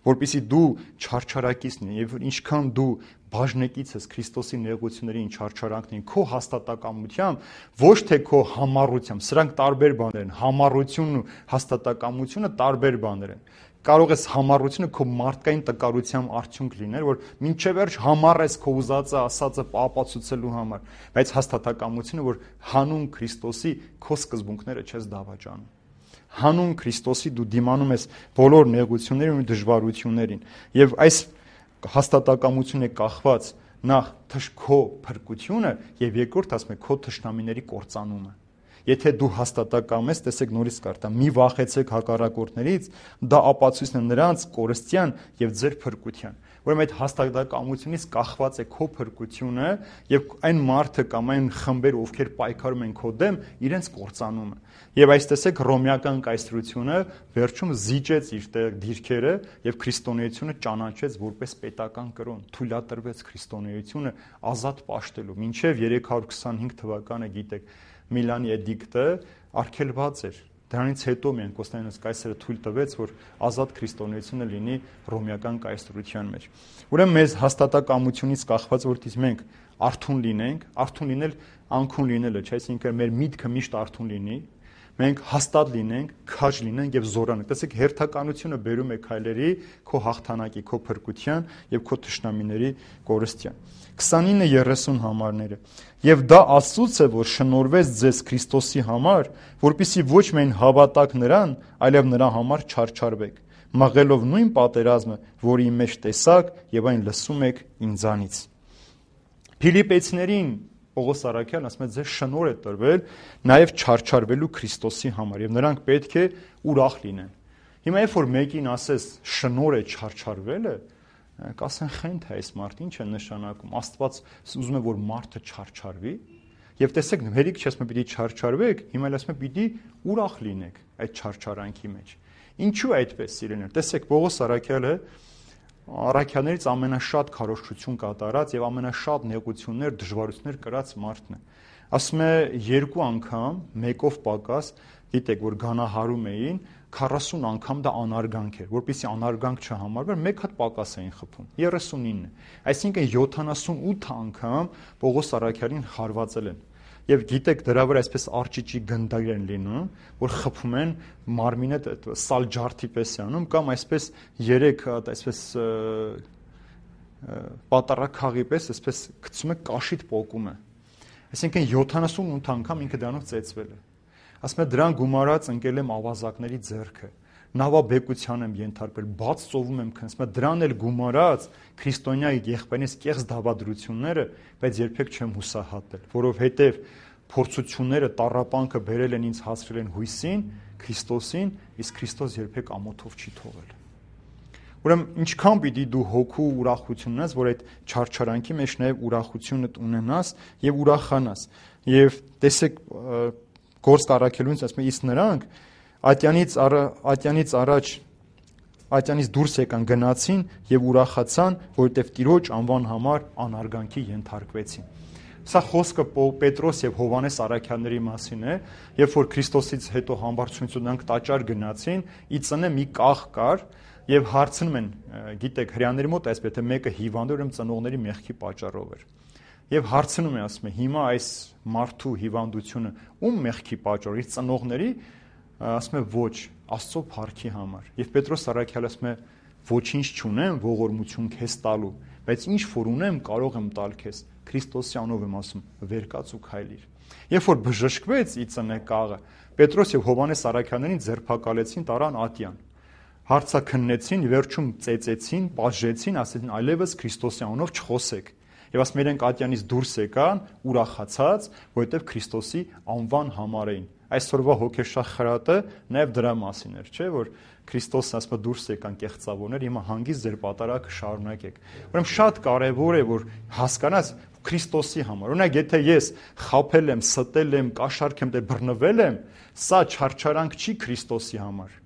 որպեսզի դու չարչարակից լինես եւ ինչքան դու բաժնեկից ես Քրիստոսի նեղություններին, չարչարանքներին, քո հաստատակամությամբ, ոչ թե քո համառությամբ, սրանք տարբեր բաներ են, համառությունն ու հաստատակամությունը տարբեր բաներ են։ Կարող ես համառությունը քո մարդկային տկարության արդյունք լինել, որ մինչև վերջ համառ ես քո ուզածը, ասածը ապացուցելու համար, բայց հաստատակամությունը, որ հանուն Քրիստոսի քո սկզբունքները չես դավաճանում։ Հանուն Քրիստոսի դու դիմանում ես բոլոր նեղություններին ու դժվարություններին, եւ այս հաստատակամությունը կախված նախ քո փրկությունը եւ երկրորդ ասում է քո թշնամիների կործանումը։ Եթե դու հաստատակամ ես, տեսեք նորից կարդա, մի վախեցեք հակառակորդներից, դա ապացույցն է նրանց կորստյան եւ ձեր փրկության։ Ուրեմն այդ հաստատակամությունից կախված է քո փրկությունը եւ այն մարդը կամ այն խմբերը, ովքեր պայքարում են քո դեմ, իրենց կործանումը։ Եվ այս տեսեք ռոմեական կայսրությունը վերջում զիջեց իր դիրքերը եւ քրիստոնեությունը ճանաչեց որպես պետական կրոն, թույլատրվեց քրիստոնեությունը ազատ պաշտելու։ Մինչեւ 325 թվականը գիտեք Միլանի էդիկտը արգելված էր։ Դրանից հետո միայն Կոստանդինոս կայսրը թույլ տվեց, որ ազատ քրիստոնեությունը լինի ռոմեական կայսրության մեջ։ Ուրեմն մեզ հաստատակամությունից կախված որտից մենք արթուն լինենք, արթուն լինել անքուն լինելը, չէ՞, այսինքն մեր միտքը միշտ արթուն լինի, մենք հաստատ լինենք, քաջ լինենք եւ զորանանք։ Տեսեք, հերթականությունը բերում է քայլերի քո հաղթանակի, քո փրկության եւ քո թշնամիների կորստյան։ 29:30 համարները։ Եվ դա Աստծուց է, որ շնորհվեց ձեզ Քրիստոսի համար, որպեսզի ոչ միայն հավատաք նրան, այլև նրա համար չարչարվեք, մղելով նույն պատերազմը, որի մեջ տեսաք եւ այն լսում եք ինձանից։ Փիլիպեցիներին Պողոս Արաքյալն ասում է, ձեզ շնորհ է տրվել նաև չարչարվելու Քրիստոսի համար, եւ նրանք պետք է ուրախ լինեն։ Հիմա երբ որ մեկին ասես շնորհ է չարչարվելը, կասեն խենթ է այս մարդը, ինչ է նշանակում։ Աստված ուզում է, որ մարդը չարչարվի, եւ տեսեք, հերիք չի ասում պիտի չարչարվեք, հիմա էլ ասում է պիտի ուրախ լինեք այդ չարչարանքի մեջ։ Ինչու է այդպես, սիրելիներ։ Տեսեք, Պողոս Արաքյալը առաքյալներից ամենաշատ քարոզչություն կատարած եւ ամենաշատ նեղություններ, դժվարություններ կրած մարդն է։ Ասում է 2 անգամ մեկով պակաս, գիտեք, որ գանահարում էին, 40 անգամ դա անարգանք էր, որպեսզի անարգանք չհամարվեր, մեկ հատ պակաս էին խփում, 39, այսինքն 78 անգամ Պողոս Արաքյալին խարվածել են։ Եվ գիտեք, դրա վրա այսպես արճիճի գնդակ են լինում, որ խփում են մարմինը սալ ջարդի պես է անում, կամ այսպես 3 հատ այսպես պատարակախի պես այսպես գցում է կաշիտ պոկում է։ Այսինքն 78 անգամ ինքը դրանով ծեծվել է։ Ասում է դրան գումարած ընկել եմ ավազակների ձեռքը, նավաբեկության եմ ենթարկվել, բաց ծովում եմ քննում, դրան էլ գումարած քրիստոնյայի եղբայրից կեղծ դավադրությունները, բայց երբեք չեմ հուսահատել, որովհետև փորձությունները, տառապանքը բերել են ինձ հասցրել են հույսին, Քրիստոսին, իսկ Քրիստոս երբեք ամոթով չի թողել։ Ուրեմն ինչքան պիտի դու հոգու ուրախություն ունես, որ այդ չարչարանքի մեջ նաև ուրախությունը ունենաս եւ ուրախանաս։ Եվ տեսեք Գործք առաքելուց ասում է, իսկ նրանք ատյանից դուրս եկան, գնացին եւ ուրախացան, որովհետեւ Տիրոջ անվան համար անարգանքի ենթարկվեցին։ Սա խոսքը Պետրոս եւ Հովհաննես առաքյալների մասին է, երբ որ Քրիստոսից հետո համբարձությունից նրանք տաճար գնացին, ի ծնե մի կաղ կար եւ հարցնում են, գիտեք, հрьяաների մոտ այսպես թե մեկը հիվանդ էր, ծնողների մեղքի պատճառով էր։ Եվ հարցնում է, ասում է, հիմա այս մարդու հիվանդությունը ում մեղքի պատճառ, իր ծնողների, ասում է ոչ, Աստծո փառքի համար։ Եվ Պետրոս առաքյալը ասում է, ոչինչ չունեմ ողորմություն քեզ տալու, բայց ինչ որ ունեմ կարող եմ տալ քեզ։ Քրիստոսի անով եմ ասում, վեր կաց ու քայլիր։ Երբ որ բժշկվեց ի ծնե կաղը, Պետրոս եւ Հովհաննես առաքյալներին ձերբակալեցին, տարան ատյան։ Հարցաքննեցին, վերջում ծեծեցին, պատժեցին, ասեցին այլևս Քրիստոսի անով չխոսեք։ Եվ ասում իրենք ատյանից դուրս եկան ուրախացած, որովհետև Քրիստոսի անվան համար էին։ Այսօրվա հոգեշախ խրատը նաև դրա մասին էր, չէ՞, որ Քրիստոսը ասում է դուրս եկան կեղծավորներ, հիմա հանգիստ ձեր պատարագը շարունակեք։ Ուրեմն շատ կարևոր է, որ հասկանաս Քրիստոսի համար։ Օրինակ, եթե ես խաբել եմ, ստել եմ, կաշառք եմ, բռնվել եմ, սա չարչարանք չի Քրիստոսի համար։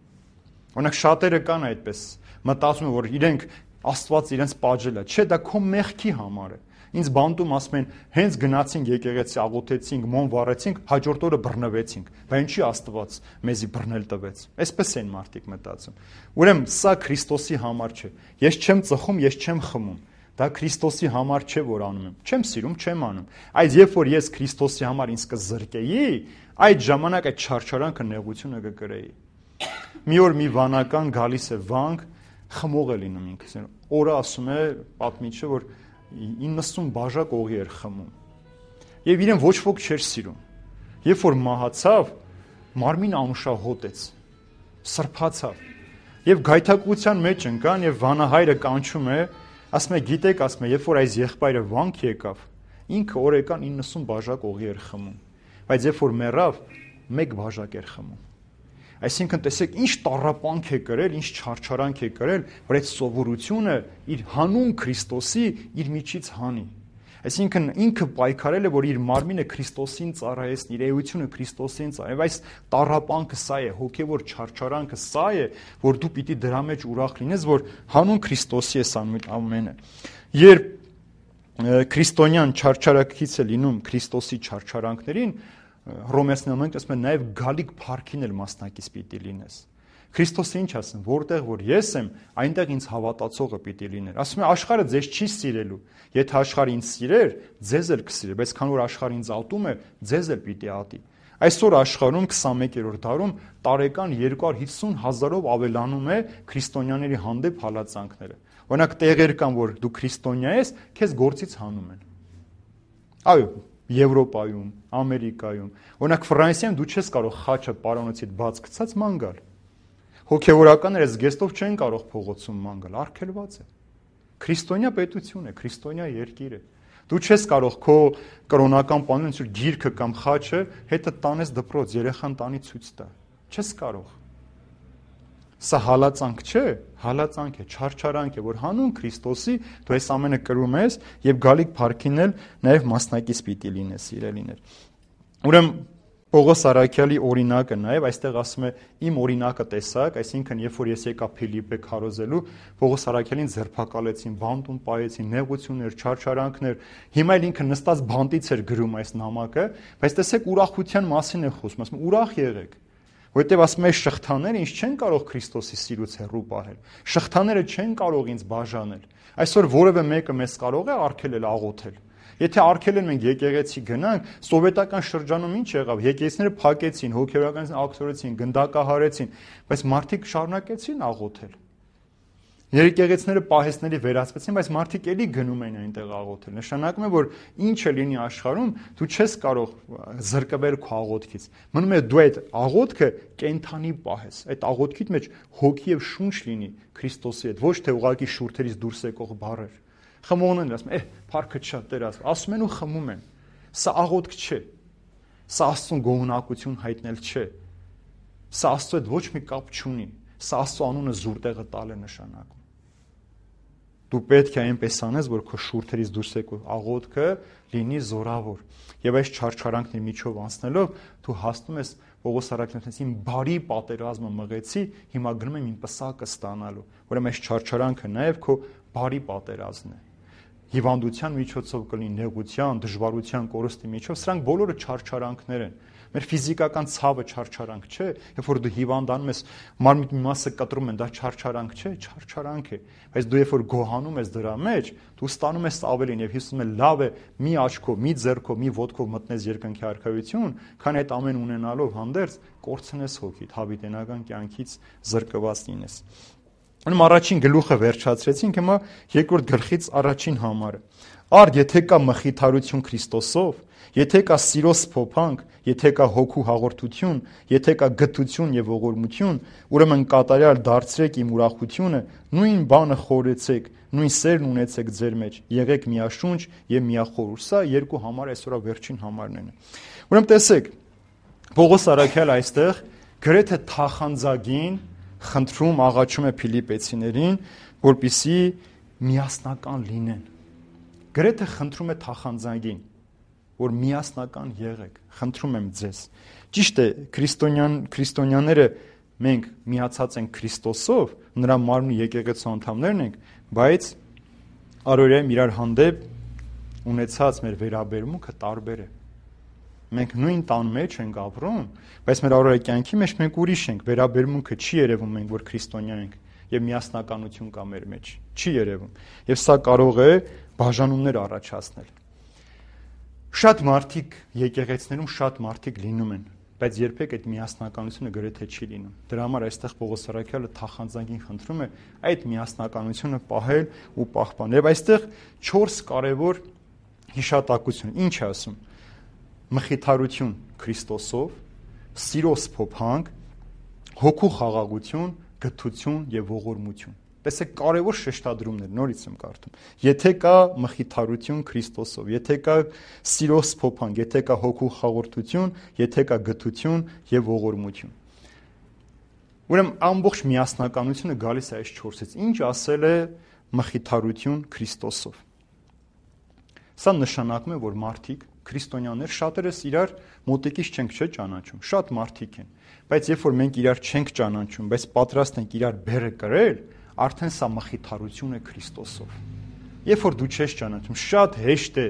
Օրինակ, շատերը կան այդպես, մտածում են, որ իրենք Աստված իրենց պատժել է, չէ, դա քո մեղքի համար է։ Ինձ բանտում ասում են, հենց գնացինք եկեղեցի, աղոթեցինք, մոմ վառեցինք, հաջորդ օրը բռնվեցինք։ Բայց ինչի Աստված մեզի բռնել տվեց։ Այսպես են մարդիկ մտածում։ Ուրեմն սա Քրիստոսի համար չէ։ Ես չեմ ծխում, ես չեմ խմում։ Դա Քրիստոսի համար չէ, որ անում եմ։ Չեմ սիրում, չեմ անում։ Այս երբ որ ես Քրիստոսի համար ինձ կզրկեի, այդ ժամանակ այդ չարչարանքը նեղությունը կկրեի։ Մի օր մի վանական գալիս է վանք, խմող է լինում ինքս։ Օրը ասում է պատմիչը, որ 90 բաժակ օղի էր խմում։ Եվ իրեն ոչ ոք չէր սիրում։ Երբ որ մահացավ, մարմինը անուշահոտ էր, սրբացավ։ Եվ գայթակղության մեջ ընկան եւ վանահայրը կանչում է, ասում է, գիտեք, ասում է, երբ որ այս եղբայրը վանք եկավ, ինքը օրեկան 90 բաժակ օղի էր խմում, բայց երբ որ մեռավ, 1 բաժակ էր խմում։ Այսինքն տեսեք ինչ տառապանք է կրել, ինչ չարչարանք է կրել, որ այդ սովորությունը իր հանուն Քրիստոսի իր միջից հանի։ Այսինքն ինքը պայքարել է, որ իր մարմինը Քրիստոսին ծառայեցնի, իր էությունը Քրիստոսին ծառայի։ Այս տառապանքը սա է, հոգևոր չարչարանքը սա է, որ դու պիտի դրա մեջ ուրախ լինես, որ հանուն Քրիստոսի ես անում ամենը։ Երբ քրիստոնյան չարչարանքից է լինում Քրիստոսի չարչարանքներին, Հռոմեացիներին մենք ասում են նաև գալիք փառքին էլ մասնակից պիտի լինես։ Քրիստոսը ինչ ասում, որտեղ որ ես եմ, այնտեղ ինձ հավատացողը պիտի լիներ։ Ասում է աշխարհը ձեզ չի սիրելու։ Եթե աշխարհը ինձ սիրեր, ձեզ էլ կսիրեր, բայց քանի որ աշխարհը ինձ ատում է, ձեզ էլ պիտի ատի։ Այսօր աշխարհում 21-րդ դարում տարեկան 250,000-ով ավելանում է քրիստոնյաների հանդեպ հալածանքները։ Օրինակ տեղեր կան, որ դու քրիստոնյա ես, քեզ գործից հանում են։ Այո, Եվրոպայում, Ամերիկայում, օրինակ Ֆրանսիայում դու չես կարող խաչը պարանոցիդ բաց գցած ման գալ։ Հոգևորականները զգեստով չեն կարող փողոցում ման գալ, արգելված է։ Քրիստոնյա պետություն է, քրիստոնյա երկիր է։ Դու չես կարող քո կրոնական բանն ինչ գիրքը կամ խաչը հետը տանես դպրոց, երեխան տանի ցույց տա։ Չես կարող։ Սա հալածանք չէ, հալածանք է, չարչարանք է, որ հանուն Քրիստոսի դու այս ամենը կրում ես եւ գալիք փառքին էլ նաեւ մասնակից պիտի լինես, սիրելիներ։ Ուրեմն Պողոս Արաքյալի օրինակը նաև այստեղ ասում է իմ օրինակը տեսակ, այսինքն երբ որ ես եկա Փիլիպպե քարոզելու, Պողոս Արաքյալին ձերբակալեցին, բանտում պայեցին, նեղություններ, չարչարանքներ, հիմա էլ ինքը նստած բանտից էր գրում այս նամակը, բայց տեսեք ուրախության մասին է խոսում, ասում ուրախ եղեք, որովհետև ասում է շղթաները ինձ չեն կարող Քրիստոսի սիրուց հեռու պահել, շղթաները չեն կարող ինձ բաժանել, այսօր որևէ մեկը մեզ կարող է արգելել աղոթել։ Եթե արգելեն մենք եկեղեցի գնանք, սովետական շրջանում ինչ եղավ, եկեղեցիները փակեցին, հոգևորականին ակտորեցին, գնդակահարեցին, բայց մարդիկ շարունակեցին աղոթել։ Եկեղեցիները պահեստների վերածվեցին, բայց մարդիկ էլի գնում էին այնտեղ աղոթել։ Նշանակում է, որ ինչը լինի աշխարհում, դու չես կարող զրկվել քո աղոթքից։ Մնում է դու այդ աղոթքը կենթանի պահես, այդ աղոթքիդ մեջ հոգի եւ շունչ լինի Քրիստոսի հետ, ոչ թե ուղղակի շուրթերից դուրս եկող բառեր։ Խմողն են ասում, փառքը շատ Տեր ասում են ու խմում են։ Սա աղոթք չէ։ Սա Աստծուն գոհունակություն հայտնել չէ։ Սա Աստծո հետ ոչ մի կապ չունի։ Սա Աստծո անունը զուր տեղը տալ է նշանակում։ Դու պետք է այնպես անես, որ քո շուրթերից դուրս եկող աղոթքը լինի զորավոր։ Եվ այս չարչարանքների միջով անցնելով դու հասնում ես Պողոս Արաքյալից իմ բարի պատերազմը մղեցի, հիմա գնում եմ իմ պսակը ստանալու։ Ուրեմն այս չարչարանքը նաև քո բարի պատերազմն է։ Հիվանդության միջոցով կլինի, նեղության, դժվարության, կորստի միջով, սրանք բոլորը չարչարանքներ են։ Մեր ֆիզիկական ցավը չարչարանք չէ, երբ որ դու հիվանդանում ես, մարմնի մի մասը կտրում են, դա չարչարանք չէ, չարչարանք է։ Բայց դու երբ որ գոհանում ես դրա մեջ, դու ստանում ես ավելին եւ Հիսուսը լավ է մի աչքով, մի ձեռքով, մի ոտքով մտնես երկնքի արքայություն, քան այդ ամեն ունենալով հանդերձ կորցնես հոգիդ, հավիտենական կյանքից զրկված լինես։ Ուրեմն առաջին գլուխը վերջացրեցինք, հիմա երկրորդ գլխից առաջին համարը։ Արդ եթե կա մխիթարություն Քրիստոսով, եթե կա սիրո սփոփանք, եթե կա հոգու հաղորդություն, եթե կա գթություն եւ ողորմություն, ուրեմն կատարյալ դարձրեք իմ ուրախությունը, նույն բանը խորեցեք, նույն սերն ունեցեք ձեր մեջ, եղեք միաշունչ եւ միախորհուրդ։ Սա երկու համար այսօրվա վերջին համարն են։ Ուրեմն տեսեք, Պողոս Արաքյալը այստեղ գրեթե թախանձագին խնդրում աղաչում է Փիլիպեցիներին, որպեսզի միասնական լինեն։ Գրեթե խնդրում է թախանձագին, որ միասնական եղեք, խնդրում եմ ձեզ։ Ճիշտ է, քրիստոնյաները մենք միացած ենք Քրիստոսով, նրա մարմնի եկեղեցու անդամներն ենք, բայց առօրյա իրար հանդեպ ունեցած մեր վերաբերմունքը տարբեր է։ Մենք նույն տան մեջ ենք ապրում, բայց մեր առօրյա կյանքի մեջ մենք ուրիշ ենք, վերաբերմունքը չի երևում մենք, որ քրիստոնյա ենք եւ միասնականություն կա մեր մեջ, չի երևում։ Եվ սա կարող է բաժանումներ առաջացնել։ Շատ մարդիկ եկեղեցիներում շատ մարդիկ լինում են, բայց երբեք այդ միասնականությունը գրեթե չի լինում։ Դրա համար այստեղ Պողոս Արաքյալը թախանձագին խնդրում է այդ միասնականությունը պահել ու պահպանել։ Եվ այստեղ 4 կարևոր հիշատակություն։ Ինչ է ասում։ Մխիթարություն Քրիստոսով, սիրո սփոփանք, հոգու խաղաղություն, գթություն եւ ողորմություն։ Տեսեք կարևոր շեշտադրումներ, նորից եմ կարդում։ Եթե կա մխիթարություն Քրիստոսով, եթե կա սիրո սփոփանք, եթե կա հոգու խաղաղություն, եթե կա գթություն եւ ողորմություն։ Ուրեմն ամբողջ միասնականությունը գալիս է այս 4-ից։ Ինչ ասել է մխիթարություն Քրիստոսով։ Սա նշանակում է, որ մարդիկ քրիստոնյաներ շատերս իրար մոտիկից չենք ճանաչում, շատ մարդիկ են, բայց երբ որ մենք իրար չենք ճանաչում, բայց պատրաստ ենք իրար բերը կրել, արդեն սա մխիթարություն է Քրիստոսով։ Երբ որ դու չես ճանաչում, շատ հեշտ է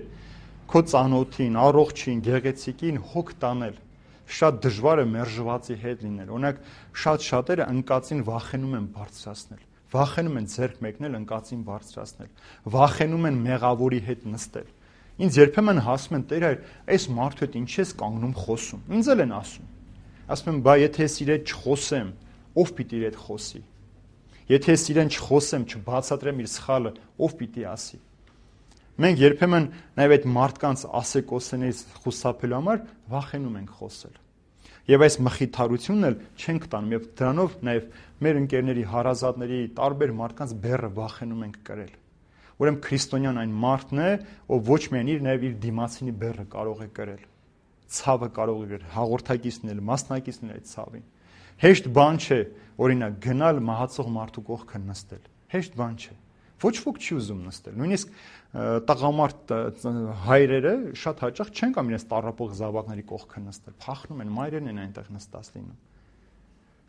քո ծանոթին, առողջին, գեղեցիկին հոգ տանել, շատ դժվար է մերժվածի հետ լինել։ Օրինակ, շատերը ընկածին վախենում են բարձրացնել, վախենում են ձեռք մեկնել, ընկածին բարձրացնել, վախենում են մեղավորի հետ նստել։ Ինձ երբեմն հասում են, Տեր այր, այս մարդու հետ ինչ ես կանգնում խոսում։ Ինձ էլ են ասում։ Ասում եմ, բա եթե ես իր հետ չխոսեմ, ով պիտի իր հետ խոսի։ Եթե ես իրեն չխոսեմ, չբացատրեմ իր սխալը, ով պիտի ասի։ Մենք երբեմն նաև այդ մարդկանց ասեկոսներից խուսափելու համար վախենում ենք խոսել։ Եվ այս մխիթարությունն էլ չենք տանում, եւ դրանով նաև մեր ընկերների, հարազատների, տարբեր մարդկանց բեռը վախենում ենք կրել։ Ուրեմն քրիստոնյան այն մարդն է, ով ոչ միայն իր դիմացինի բեռը կարող է կրել, ցավը կարող է հաղորդակիցնել, մասնակիցնել այդ ցավին։ Հեշտ բան չէ, օրինակ, գնալ մահացող մարդու կողքը նստել։ Հեշտ բան չէ։ Ոչ ոք չի ուզում նստել։ Նույնիսկ տղամարդ հայրերը շատ հաճախ չեն կամ իրենց տառապող զավակների կողքը նստել։ Փախնում են, մայրերն են այնտեղ նստած լինում։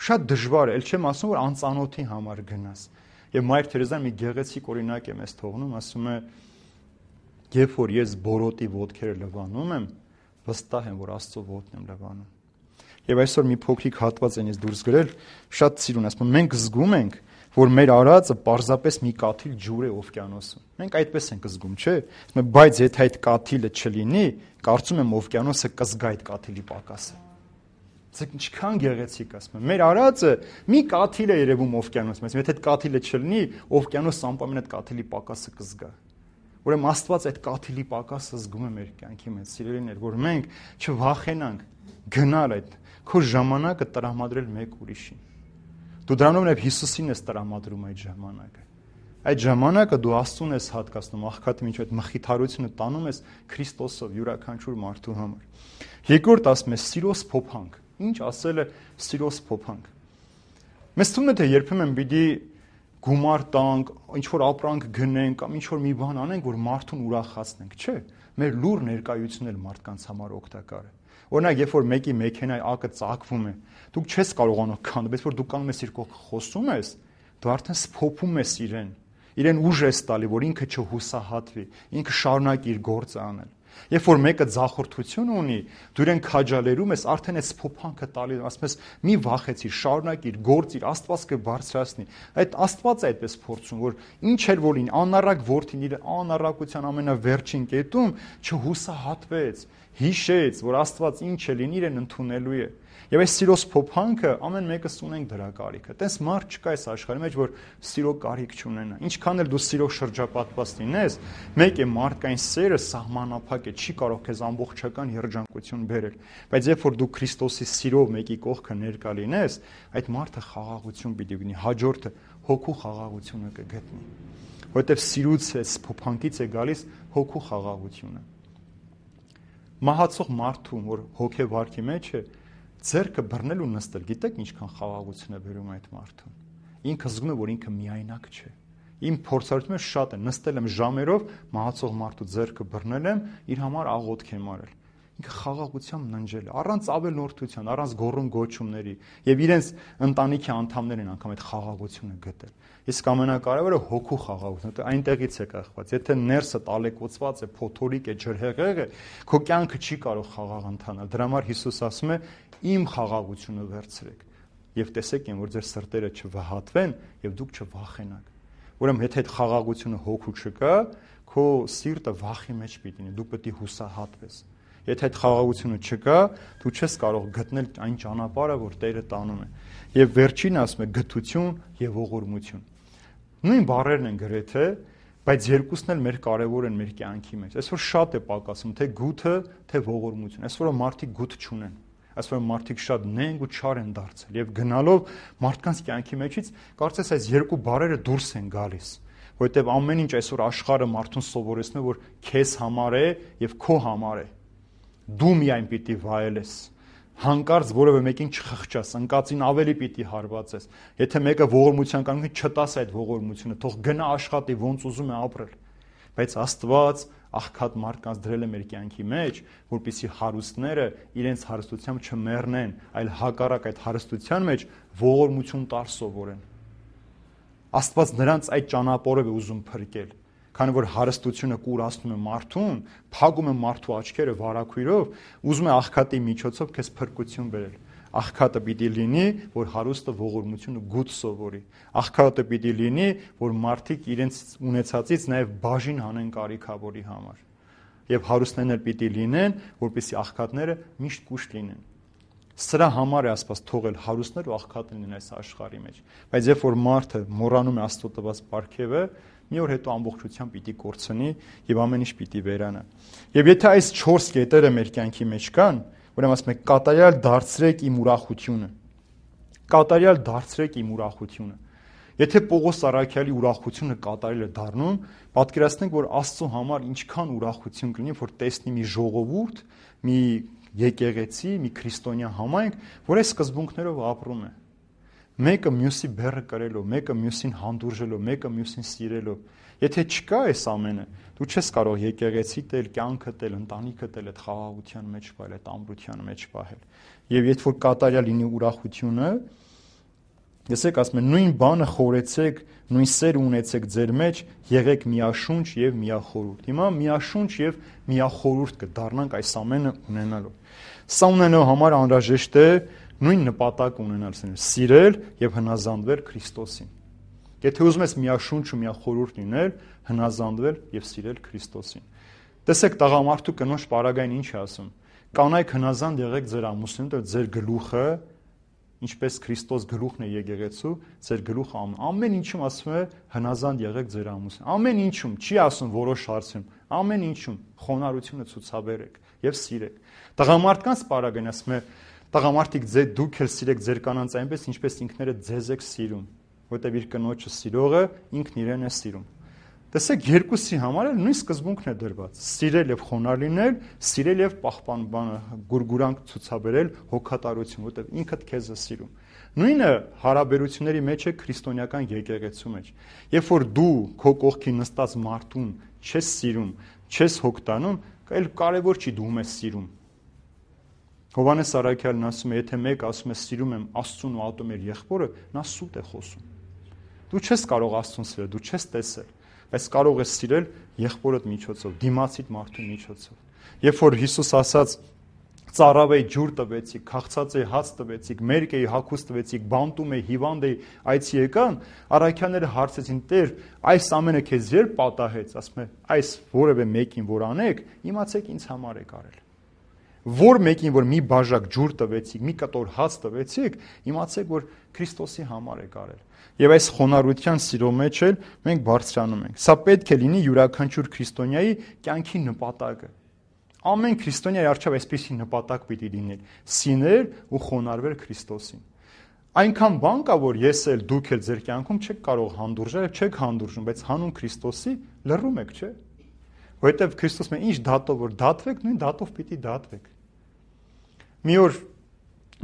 Շատ դժվար է, ել չեմ ասում, որ անծանոթի համար գնաս։ Եվ Մայր Թերեզան մի գեղեցիկ օրինակ է մեզ թողնում, ասում է, երբ որ ես բորոտի ոտքերը լվանում եմ, վստահ եմ, որ Աստծո ոտն եմ լվանում։ Եվ այսօր մի փոքրիկ հատված են ես դուրս գրել, շատ սիրուն, ասում եմ, մենք զգում ենք, որ մեր արածը պարզապես մի կաթիլ ջուր է օվկիանոսում։ Մենք այդպես ենք զգում, չէ՞։ Ասում եմ, բայց եթե այդ կաթիլը չլինի, կարծում եմ օվկիանոսը կզգա այդ կաթիլի պակասը։ Ձեկ ինչքան գեղեցիկ, ասում եմ, մեր արածը մի կաթիլ է երևում օվկիանոսում, եթե այդ կաթիլը չլինի, օվկիանոսը անպայման այդ կաթիլի պակասը կզգա։ Ուրեմն Աստված այդ կաթիլի պակասը զգում է մեր կյանքի մեջ, սիրելիներ, որ մենք չվախենանք գնալ այդ քո ժամանակը տրամադրել մեկ ուրիշին։ Դու դրանով նաև Հիսուսին ես տրամադրում այդ ժամանակը։ Այդ ժամանակը դու Աստծուն ես հատկացնում, աղքատի միջով այդ մխիթարությունը տանում ես Քրիստոսով յուրաքանչյուր մարդու համար։ Երկրորդ ասում է սիրոս փոփանք։ Ինչ ասել է սիրոս փոփանք։ Մեզ թվում է թե երբեմն պիտի գումար տանք, ինչ որ ապրանք գնենք կամ ինչ որ մի բան անենք, որ մարդուն ուրախացնենք, չէ։ Մեր լուր ներկայությունն էլ մարդկանց համար օգտակար է։ Օրինակ, երբ որ մեկի մեքենայի ակը ծակվում է, դուք չես կարողանում քանդել, բայց որ դու կանում ես իր կողքը խոսում ես, դու արդեն սփոփում ես իրեն ուժ ես տալի, որ ինքը չհուսահատվի, ինքը շարունակի իր գործը անել։ Երբ որ մեկը ձախորդություն ունի, դու իրեն քաջալերում ես, արդեն այս փոփանքը տալի, ասում ես՝ մի վախեցիր, շարունակիր, գործիր, Աստված կբարձրացնի։ Այդ Աստված է այդպես փորձում, որ ինչ էլ որ լինի, անառակ որդին իր անառակության ամենավերջին կետում չհուսահատվեց, հիշեց, որ Աստված ինչ է լինի, իրեն ընդունելու է։ Եվ այս սիրոս փոփանքը ամեն մեկս ունենք դրա կարիքը։ Տես մարդ չկա այս աշխարհի մեջ, որ սիրո կարիք չունենա։ Ինչքան էլ դու սիրով շրջապատված լինես, մեկ է մարդկային սերը սահմանափակ է, չի կարող քեզ ամբողջական երջանկություն բերել։ Բայց երբ որ դու Քրիստոսի սիրով մեկի կողքը ներկա լինես, այդ մարդը խաղաղություն պիտի ունի, հաջորդը հոգու խաղաղությունը կգտնի։ Որովհետև սիրուց է, փոփանքից է գալիս հոգու խաղաղությունը։ Մահացող մարդուն, որ հոգեվարքի մեջ է, ձեռքը բռնել ու նստել, գիտեք ինչքան խաղաղություն է բերում այդ մարդուն։ Ինքը զգում է, որ ինքը միայնակ չէ։ Իմ փորձառությունը շատ է, նստել եմ ժամերով, մահացող մարդու ձեռքը բռնել եմ, իր համար աղոթք եմ արել։ Ինքը խաղաղությամբ ննջել է, առանց ավելորդության, առանց գոռում գոչումների, եւ իրենց ընտանիքի անդամներն անգամ այդ խաղաղությունը գտել։ Իսկ ամենակարևորը հոգու խաղաղությունը, այնտեղից է կախված։ Եթե ներսը տալեկոծված է, փոթորիկ է, ջրհեղեղ է, քո կյանքը չի կարող խաղաղ ընթանալ։ Դրա համար Հիսուս ասում է՝ իմ խաղաղությունը վերցրեք եւ տեսեք, որ ձեր սրտերը չվհատվեն եւ դուք չվախենաք։ Ուրեմն եթե այդ խաղաղությունը հոգու չկա, քո սիրտը վախի մեջ պիտի լինի, դու պետք է հուսահատվես։ Եթե այդ խաղաղությունը չկա, դու չես կարող գտնել այն ճանապարհը, որ Տերը տանում է։ Եվ վերջին ասում է գթություն եւ ողորմություն։ Նույն բառերն են գրեթե, բայց երկուսն էլ մեր կարևոր են մեր կյանքի մեջ։ Այսօր շատ է պակասում թե գութը, թե ողորմություն։ Այսօր մարդիկ գութ չունեն։ Այսօր մարդիկ շատ նենգ ու չար են դարձել եւ գնալով մարդկանց կյանքի մեջից կարծես այս երկու բառերը դուրս են գալիս, որովհետեւ ամեն ինչ այսօր աշխարհը մարդուն սովորեցնում է, որ քեզ համար է եւ քո համար է։ Դու միայն պիտի վայելես, հանկարծ որևէ մեկին չխղճաս, ընկածին ավելի պիտի հարվածես։ Եթե մեկը ողորմության կանգնի, չտաս այդ ողորմությունը, թող գնա աշխատի, ոնց ուզում է ապրել։ Բայց Աստված աղքատ մարդկանց դրել է մեր կյանքի մեջ, որպեսզի հարուստները իրենց հարստությամբ չմեռնեն, այլ հակառակ այդ հարստության մեջ ողորմություն տար սովորեն։ Աստված նրանց այդ ճանապարհով է ուզում փրկել, քանի որ հարստությունը կուրացնում է մարդուն, փակում է մարդու աչքերը վարակույրով, ուզում է աղքատի միջոցով քեզ փրկություն բերել։ Աղքատը պիտի լինի, որ հարուստը ողորմությունը գութ սովորի։ Աղքատը պիտի լինի, որ մարդիկ իրենց ունեցածից նաև բաժին հանեն կարիքավորի համար։ Եվ հարուստներն էլ պիտի լինեն, որպեսզի աղքատները միշտ կուշտ լինեն։ Սրա համար է Աստված թողել հարուստներ ու աղքատներ լինեն այս աշխարհի մեջ։ Բայց երբ որ մարդը մոռանում է Աստծո տված պարգևը, մի օր հետո ամբողջությամբ պիտի կորցնի եւ ամեն ինչ պիտի վերանա։ Եվ եթե այս 4 կետերը մեր կյանքի մեջ կան, ուրեմն ասում ենք կատարյալ դարձրեք իմ ուրախությունը։ Կատարյալ դարձրեք իմ ուրախությունը։ Եթե Պողոս Առաքյալի ուրախությունը կատարելը դառնում, պատկերացնենք, որ Աստծո համար ինչքան ուրախություն կլինի, որ տեսնի մի ժողովուրդ, մի եկեղեցի, մի քրիստոնյա համայնք, որ այս սկզբունքներով ապրում է։ Մեկը մյուսի բեռը կրելով, մեկը մյուսին հանդուրժելով, մեկը մյուսին սիրելով։ Եթե չկա այս ամենը, դու չես կարող եկեղեցի տել, կյանքը տել, ընտանիքը տել, այդ խաղաղության մեջ պահել, այդ ամրության մեջ պահել։ Եվ երբ որ կատարյալ լինի ուրախությունը, եսեք ասում են նույն բանը խորեցեք, նույն սերը ունեցեք ձեր մեջ, եղեք միաշունչ եւ միախորհուրդ։ Հիմա միաշունչ եւ միախորհուրդ կդառնանք այս ամենը ունենալով։ Սա ունենալու համար անհրաժեշտ է նույն նպատակ ունենալ, սիրել եւ հնազանդվել Քրիստոսին։ Եթե ուզում ես միաշունչ ու միախորհուրդ լինել, հնազանդվել եւ սիրել Քրիստոսին։ Տեսեք, տղամարդու կնոջ պարագային ինչ է ասում։ Կանայք հնազանդ եղեք ձեր ամուսնուն, ձեր գլուխը, ինչպես Քրիստոս գլուխն է եկեղեցու, ձեր գլուխը ամեն ինչում ասում է հնազանդ եղեք ձեր ամուսնուն։ Ամեն ինչում, չի ասում որոշ հարցում, ամեն ինչում խոնարհությունը ցուցաբերեք եւ սիրեք։ Տղամարդկանց պարագային ասում է տղամարդիկ դուք էլ սիրեք ձեր կանանց այնպես, ինչպես ինքներդ ձեզ եք սիրում, որտեղ իր կնոջը սիրողը ինքն իրեն է սիրում։ Տեսեք, երկուսի համար էլ նույն սկզբունքն է դրված. սիրել եւ խոնարհ լինել, սիրել եւ գուրգուրանք ցուցաբերել, հոգատարություն, որտեղ ինքդ քեզ է սիրում։ Նույնը հարաբերությունների մեջ է քրիստոնեական եկեղեցու մեջ։ Երբ որ դու քո կողքի նստած մարդուն չես սիրում, չես հոգտանում, այլ կարևոր չի դու ես սիրում։ Հովհաննես Առաքյալն ասում է, եթե մեկ ասում է սիրում եմ Աստծուն ու ատում իր եղբորը, նա սուտ է խոսում։ Դու չես կարող Աստծուն սիրել, դու չես տեսել, բայց կարող ես սիրել եղբորդ միջոցով, դիմացիդ մարդու միջոցով։ Երբ որ Հիսուս ասաց ծառավեի ջուր տվեցիք, քաղցած էի հաց տվեցիք, մերկ էի հագուստ տվեցիք, բանտում էի, հիվանդ էի, այցի եկան, առաքյալները հարցեցին. Տեր, այս ամենը քեզ երբ պատահեց, ասում է, այս որևէ մեկին որ անեք, իմացեք ինձ համար եք արել։ Որ մեկին որ մի բաժակ ջուր տվեցիք, մի կտոր հաց տվեցիք, իմացեք որ Քրիստոսի համար եք արել։ Եվ այս խոնարհության սիրո մեջ էլ մենք բարձրանում ենք։ Սա պետք է լինի յուրաքանչյուր քրիստոնյայի կյանքի նպատակը։ Ամեն քրիստոնյայի առջև այսպիսի նպատակ պիտի լինի՝ սիրել ու խոնարհվել Քրիստոսին։ Այնքան բան կա, որ ես էլ դուք էլ ձեր կյանքում չեք կարող հանդուրժել, չեք հանդուրժում, բայց հանուն Քրիստոսի լռում եք, չէ՞։ Որովհետև Քրիստոսն է ինչ դատով որ դատվեք, նույն դատով պիտի դատվեք։ Մի օր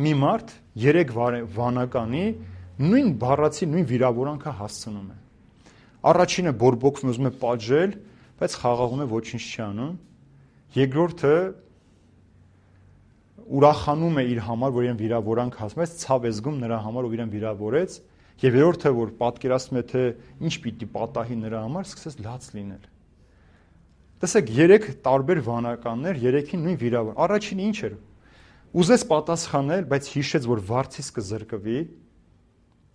մի մարդ 3 վանականի նույն բառացի նույն վիրավորանքը հասցնում է։ Առաջինը բորբոքվում ուզում է պատժել, բայց խաղաղում է, ոչինչ չի անում։ Երկրորդը ուրախանում է իր համար, որ իրեն վիրավորանք հասնում, բայց ցավ է զգում նրա համար, ով իրեն վիրավորեց, եւ երրորդը, որ պատկերացնում է, թե ինչ պիտի պատահի նրա համար, սկսեց լաց լինել։ Տեսեք, 3 տարբեր վանականներ, 3-ին նույն վիրավոր։ Առաջինը ինչ էր։ Ուզեց պատասխանել, բայց հիշեց, որ վարձից կզրկվի,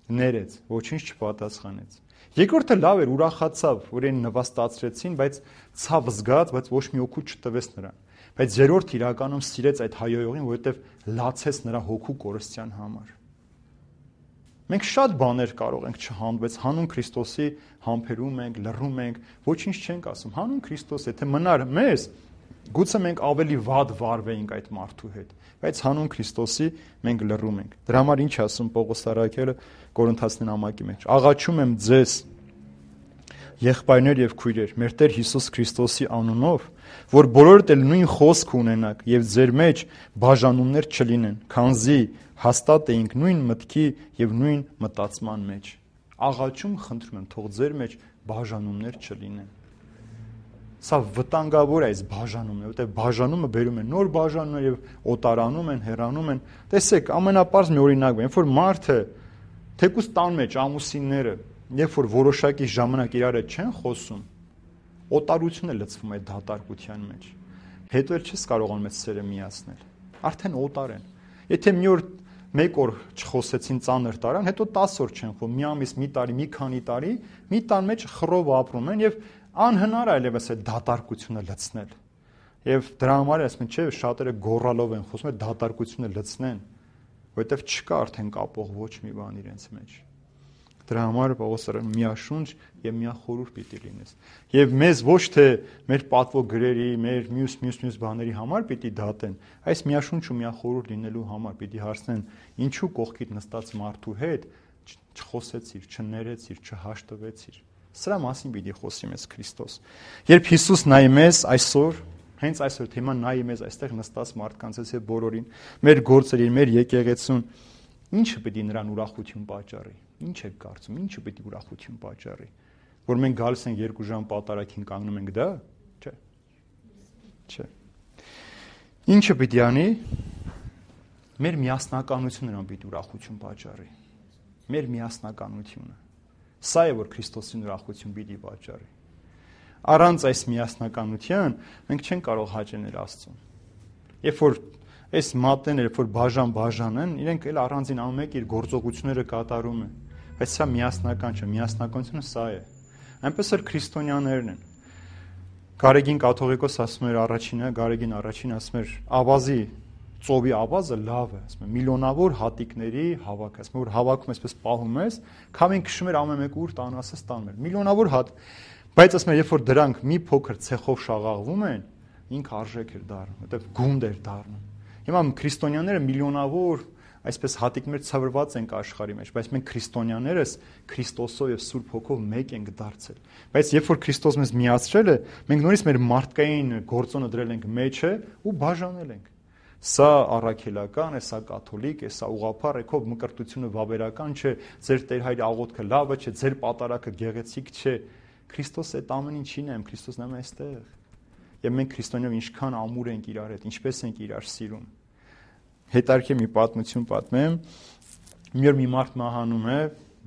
ներեց, ոչինչ չպատասխանեց։ Երկրորդը լավ էր, ուրախացավ, որ իրեն նվաստացրեցին, բայց ցավ զգաց, բայց ոչ մի օգուտ չտվեց նրան։ Բայց երրորդը իրականում սիրեց այդ հայոյողին, որովհետև լացեց նրա հոգու կորստյան համար։ Մենք շատ բաներ կարող ենք չհանալ, բայց հանուն Քրիստոսի համբերում ենք, լռում ենք, ոչինչ չենք ասում։ Հանուն Քրիստոս, եթե մնար մեզ, գուցե մենք ավելի վատ վարվեինք այդ մարդու հետ, բայց հանուն Քրիստոսի մենք լռում ենք։ Դրա համար ինչ ասում Պողոս Առաքյալը Կորինթացին ամակի մեջ. Աղաչում եմ ձեզ, եղբայրներ եւ քույրեր, մեր Տեր Հիսուս Քրիստոսի անունով, որ բոլորդ էլ նույն խոսք ունենաք եւ ձեր մեջ բաժանումներ չլինեն, քանզի հաստատ էինք նույն մտքի եւ նույն մտածման մեջ։ Աղաչում խնդրում եմ, թող ձեր մեջ բաժանումներ չլինեն։ Սա վտանգավոր է այս բաժանումն, որտեղ բաժանումը բերում է նոր բաժանումներ եւ օտարանում են, հեռանում են։ Տեսեք, ամենապարզ մի օրինակ է, երբ որ մարդը թեկուզ տան մեջ ամուսինները, երբ որ որոշակի ժամանակ իրար հետ չեն խոսում, օտարությունը լցվում է դատարկության մեջ։ Հետո էլ չես կարողանում այդ սերը միացնել։ Արդեն օտար են։ Եթե մի օր մեկ օր չխոսեցին ծանր տարան, հետո 10 օր չեն խոսում, մի ամիս, մի տարի, մի քանի տարի, մի տան մեջ խռով ապրում են եւ անհնար այլևս այդ դատարկությունը լցնել։ Եվ դրա համար ասում են, չէ, շատերը գոռալով են խոսում, այդ դատարկությունը լցնեն, որովհետև չկա արդեն կապող ոչ մի բան իրենց մեջ։ Դրա համար Պողոսը միաշունչ եւ միախորհուրդ պիտի լինես։ Եվ մեզ ոչ թե մեր պատվո գրերի, մեր մյուս բաների համար պիտի դատեն, այս միաշունչ ու միախորհուրդ լինելու համար պիտի հարցնեն, ինչու կողքիդ նստած մարդու հետ չխոսեցիր, չներեցիր, չհաշտվեցիր։ Սրա մասին պիտի խոսի մեզ Քրիստոս։ Երբ Հիսուս նայի մեզ այսօր, հենց այսօր թեմա նայի մեզ այստեղ նստած մարդկանց եւ բոլորին, մեր գործերին, մեր եկեղեցուն, ինչը պիտի նրան ուրախություն պատճառի։ Ինչ եք կարծում, ինչը պիտի ուրախություն պատճառի։ Որ մենք գալիս ենք 2 ժամ պատարագին կանգնում ենք դա, չէ։ Չէ։ Ինչը պիտի անի։ Մեր միասնականությունը նրան պիտի ուրախություն պատճառի։ Մեր միասնականությունը։ Սա է, որ Քրիստոսին ուրախություն պիտի պատճառի։ Առանց այս միասնականության մենք չենք կարող հաճենել Աստծուն։ Երբ որ այս մատները, երբ որ բաժան են, իրենք էլ առանձին ամեն իր գործողությունները կատարում են։ Բայց սա միասնական չէ, միասնականությունը սա է։ Այնպես էլ քրիստոնյաներն են։ Գարեգին կաթողիկոս ասում էր Գարեգին առաջին ասում էր ավազի ծովի ավազը լավ է, ասում է միլիոնավոր հատիկների հավաք, ասում որ հավաքում այսպես պահում ես, քամին քշում էր ամեն մեկը ուր տան ասես տանում էր։ Միլիոնավոր հատ, բայց ասում է երբ որ դրանք մի փոքր ցեխով շաղաղվում են, ինքը արժեք էր դառնում, որտեղ գունդ էր դառնում։ Հիմա քրիստոնյաները միլիոնավոր այսպես հատիկներ ցավրված ենք աշխարհի մեջ, բայց մենք քրիստոնյաներս Քրիստոսով եւ Սուրբ Հոգով մեկ ենք դարձել։ Բայց երբ որ Քրիստոս մեզ միացրել է, մենք նորից մեր մարդկային գործոնը դրել ենք մեջը ու բաժանել ենք։ Սա առաքելական է, սա կաթոլիկ է, սա ուղղափառ է, քո մկրտությունը վավերական չէ, ձեր Տեր Հայր աղոթքը լավը չէ, ձեր պատարակը գեղեցիկ չէ։ Քրիստոս այդ ամեն ինչին է, Քրիստոսն է այստեղ։ Եվ մենք քրիստոնյաներով ինչքան ամուր ենք իրար հետ, ինչպես ենք իրար սիրում։ Հետարքի մի պատմություն պատմեմ։ Մի մարդ մահանում է,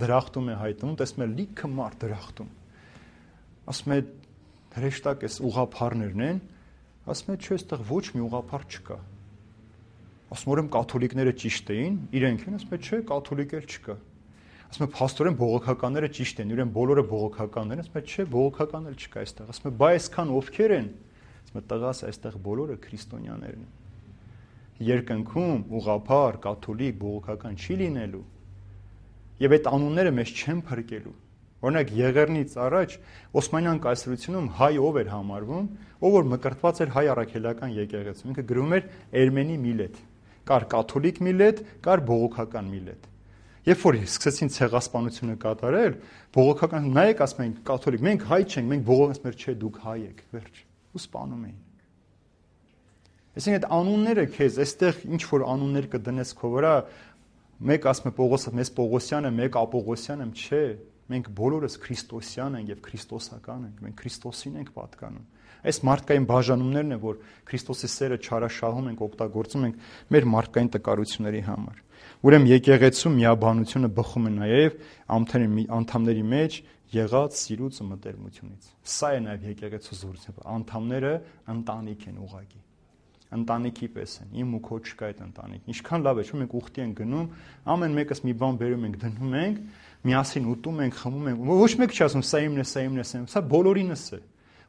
դրախտում է հայտնում, տեսնում է լիքը մարդ դրախտում։ Ասում է հրեշտակ էս ուղղափառներն են, ասում է չէ, այստեղ ոչ մի ուղղափառ չկա։ Ասում եմ կաթոլիկները ճիշտ էին, իրենք են, ասում է չէ, կաթոլիկ էլ չկա։ Ասում է փաստորեն բողոքականները ճիշտ են, իրեն բոլորը բողոքականներ են, ասում է չէ, բողոքական էլ չկա այստեղ։ Ասում է բայ այսքան ովքեր են։ Ասում է տղաս այստեղ բոլորը քրիստոնյաներն են։ Երկնքում ուղղափառ, կաթոլիկ, բողոքական չի լինելու։ Եվ այդ անունները մեզ չեն փրկելու։ Օրինակ Եղեռնից առաջ Օսմանյան կայսրությունում հայ ով էր համարվում, ով որ մկրտված էր հայ առաքելական եկեղեցում, ինքը գրում էր Էրմենի միլետ, կար կաթոլիկ միլետ, կար բողոքական միլետ։ Երբ որ սկսեցին ցեղասպանությունը կատարել, բողոքական նայեք ասում են կաթոլիկ, մենք հայ չենք, մենք բողոքած մեր չէ, դուք հայ եք, վերջ, ու սպանում էին։ Այսինքն այդ անունները քեզ այստեղ ինչ որ անուններ կդնես քո վրա, մեկ ասում է Պողոսը, մեզ Պողոսյանը, մեկ Ապողոսյանը, չէ, մենք բոլորս քրիստոսյան ենք եւ քրիստոսական ենք, մենք Քրիստոսին ենք պատկանում։ Այս մարդկային բաժանումներն են, որ Քրիստոսի սերը չարաշահում ենք, օգտագործում ենք մեր մարդկային տկարությունների համար։ Ուրեմն եկեղեցու միաբանությունը բխում է նաեւ անդամների մեջ եղած սիրուց ու մտերմությունից։ Սա է նաեւ եկեղեցու զորությունը։ Անդամները ընտանիք են ուղղակի։ Ընտանիքի պես են, իմ ու քո չկա այդ ընտանիք։ Ինչքան լավ է, չէ՞ մենք ուխտի ենք գնում, ամեն մեկս մի բան բերում ենք, դնում ենք, միասին ուտում ենք, խմում ենք։ Ոչ մեկ չի ասում սա իմն է, սա իմն է, սա բոլորինս է։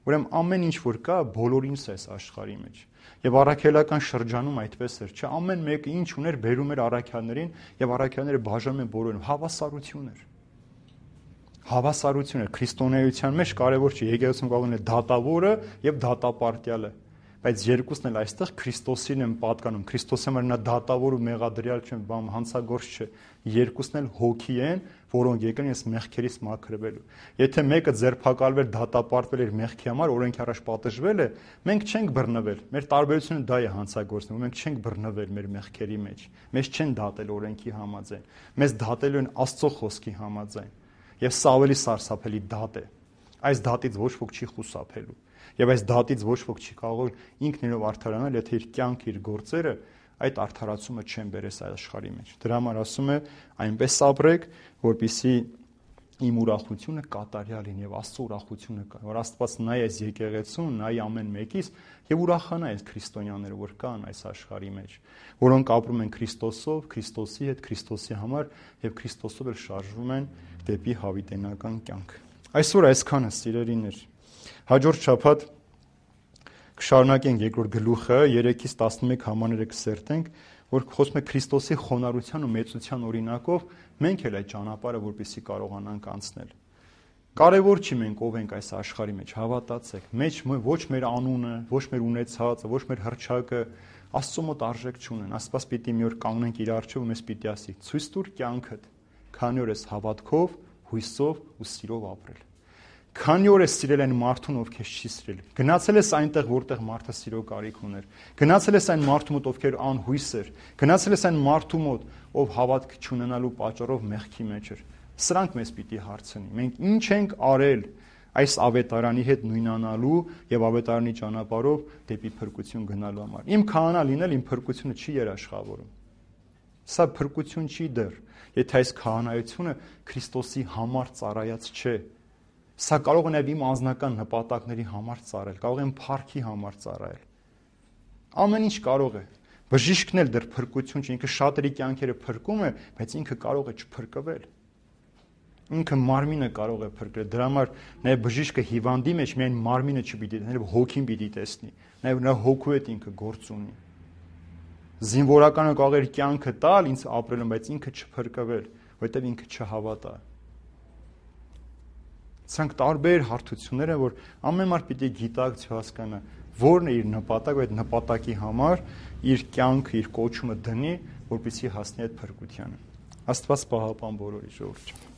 Ուրեմն ամեն ինչ որ կա, բոլորինս է այս աշխարհի մեջ։ Եվ առաքելական շրջանում այդպես էր, չէ՞, ամեն մեկը ինչ ուներ, բերում էր առաքյալներին, եւ առաքյալները բաժանում են բոլորին, հավասարություն էր։ Հավասարություն էր քրիստոնեության մեջ կարևոր չէ, եկեղեցում կողմն է դատավորը եւ դատապարտյալը։ Բայց երկուսն էլ այստեղ Քրիստոսին են պատկանում։ Քրիստոսը նա դատավոր ու մեղադրյալ չէ, բան հանցագործ չէ։ Երկուսն էլ հոգի են, որոնք եկան այս մեղքերից մաքրվելու։ Եթե մեկը ձերբակալվել, դատապարտվել էր մեղքի համար, օրենքի առաջ պատժվել է, մենք չենք բռնվել։ Մեր տարբերությունը դա է հանցագործն, մենք չենք բռնվել մեր մեղքերի մեջ։ Մեզ չեն դատել օրենքի համաձայն։ Մեզ դատելու են Աստծո խոսքի համաձայն։ Եվ սա ավելի սարսափելի դատ է։ Այս դատից ոչ ոք չի խուսափելու։ Եվ այս դատից ոչ ոք չի կարող ինքն իրենով արդարանալ, եթե իր կյանքը, իր գործերը այդ արդարացումը չեն բերես աշխարհի մեջ։ Դրա համար ասում է այնպես ապրեք, որպեսզի իմ ուրախությունը կատարյալ լինի եւ Աստծո ուրախությունը կա, որ Աստված նայ այս եկեղեցուն, նայ ամեն մեկից եւ ուրախանա այս քրիստոնյաները, որ կան այս աշխարհի մեջ, որոնք ապրում են Քրիստոսով, Քրիստոսի հետ, Քրիստոսի համար եւ Քրիստոսով էլ շարժվում են դեպի հավիտենական կյանք։ Այսօր այսքանը սիրելիներ։ Հաջորդ շաբաթ կշարունակենք երկրորդ գլուխը 3-ից 11 համարները կսերտենք, որ խոսում է Քրիստոսի խոնարհության ու մեծության օրինակով մենք էլ այդ ճանապարհը որպեսզի կարողանանք անցնել։ Կարևոր չի մենք ով ենք այս աշխարհի մեջ, հավատացեք, մեջ ոչ մեր անունը, ոչ մեր ունեցածը, ոչ մեր հռչակը Աստծո մոտ արժեք չունեն։ Աստված պիտի մի օր կանգնենք իր առջև ու մեզ պիտի ասի. «Ցույց տուր կյանքդ, քանի որ ես հավատքով, հույսով ու սիրով ապրել։ Քանի որ ես սիրել այն մարդուն, ով քեզ չի սիրել։ Գնացել ես այնտեղ, որտեղ մարդը սիրո կարիք ուներ։ Գնացել ես այն մարդու մոտ, ովքեր անհույս էր։ Գնացել ես այն մարդու մոտ, ով հավատք չունենալու պատճառով մեղքի մեջ էր։ Սրանք մեզ պիտի հարցնի։ Մենք ինչ ենք արել այս ավետարանի հետ նույնանալու եւ ավետարանի ճանապարհով դեպի փրկություն գնալու համար։ Իմ քահանա լինել իմ փրկությունը չի երաշխավորում։ Սա փրկություն չի դեռ, եթե այս քահանայությունը Քրիստոսի համար ծառայած չէ։ Սա կարող է նաև իմ անձնական նպատակների համար ծառայել, կարող է իմ փառքի համար ծառայել։ Ամեն ինչ կարող է։ Բժիշկն էլ դեռ փրկություն չի, ինքը շատերի կյանքերը փրկում է, բայց ինքը կարող է չփրկվել։ Ինքը մարմինը կարող է փրկել։ Դրա համար նաև բժիշկը հիվանդի մեջ միայն մարմինը չպիտի տեսնի, այլ հոգին պիտի տեսնի։ Նաև նրա հոգու հետ ինքը գործ ունի։ Զինվորականը կարող է կյանքը տալ ինձ ապրելը, բայց ինքը չփրկվել, որովհետև ինքը չհավատա։ Սրանք տարբեր հարթություններ են, որ ամեն մարդ պիտի գիտակցի հասկանա, որն է իր նպատակը, այդ նպատակի համար իր կյանքը, իր կոչումը դնի, որպեսզի հասնի այդ փրկությանը։ Աստված պահապան բոլորի ժողովուրդ։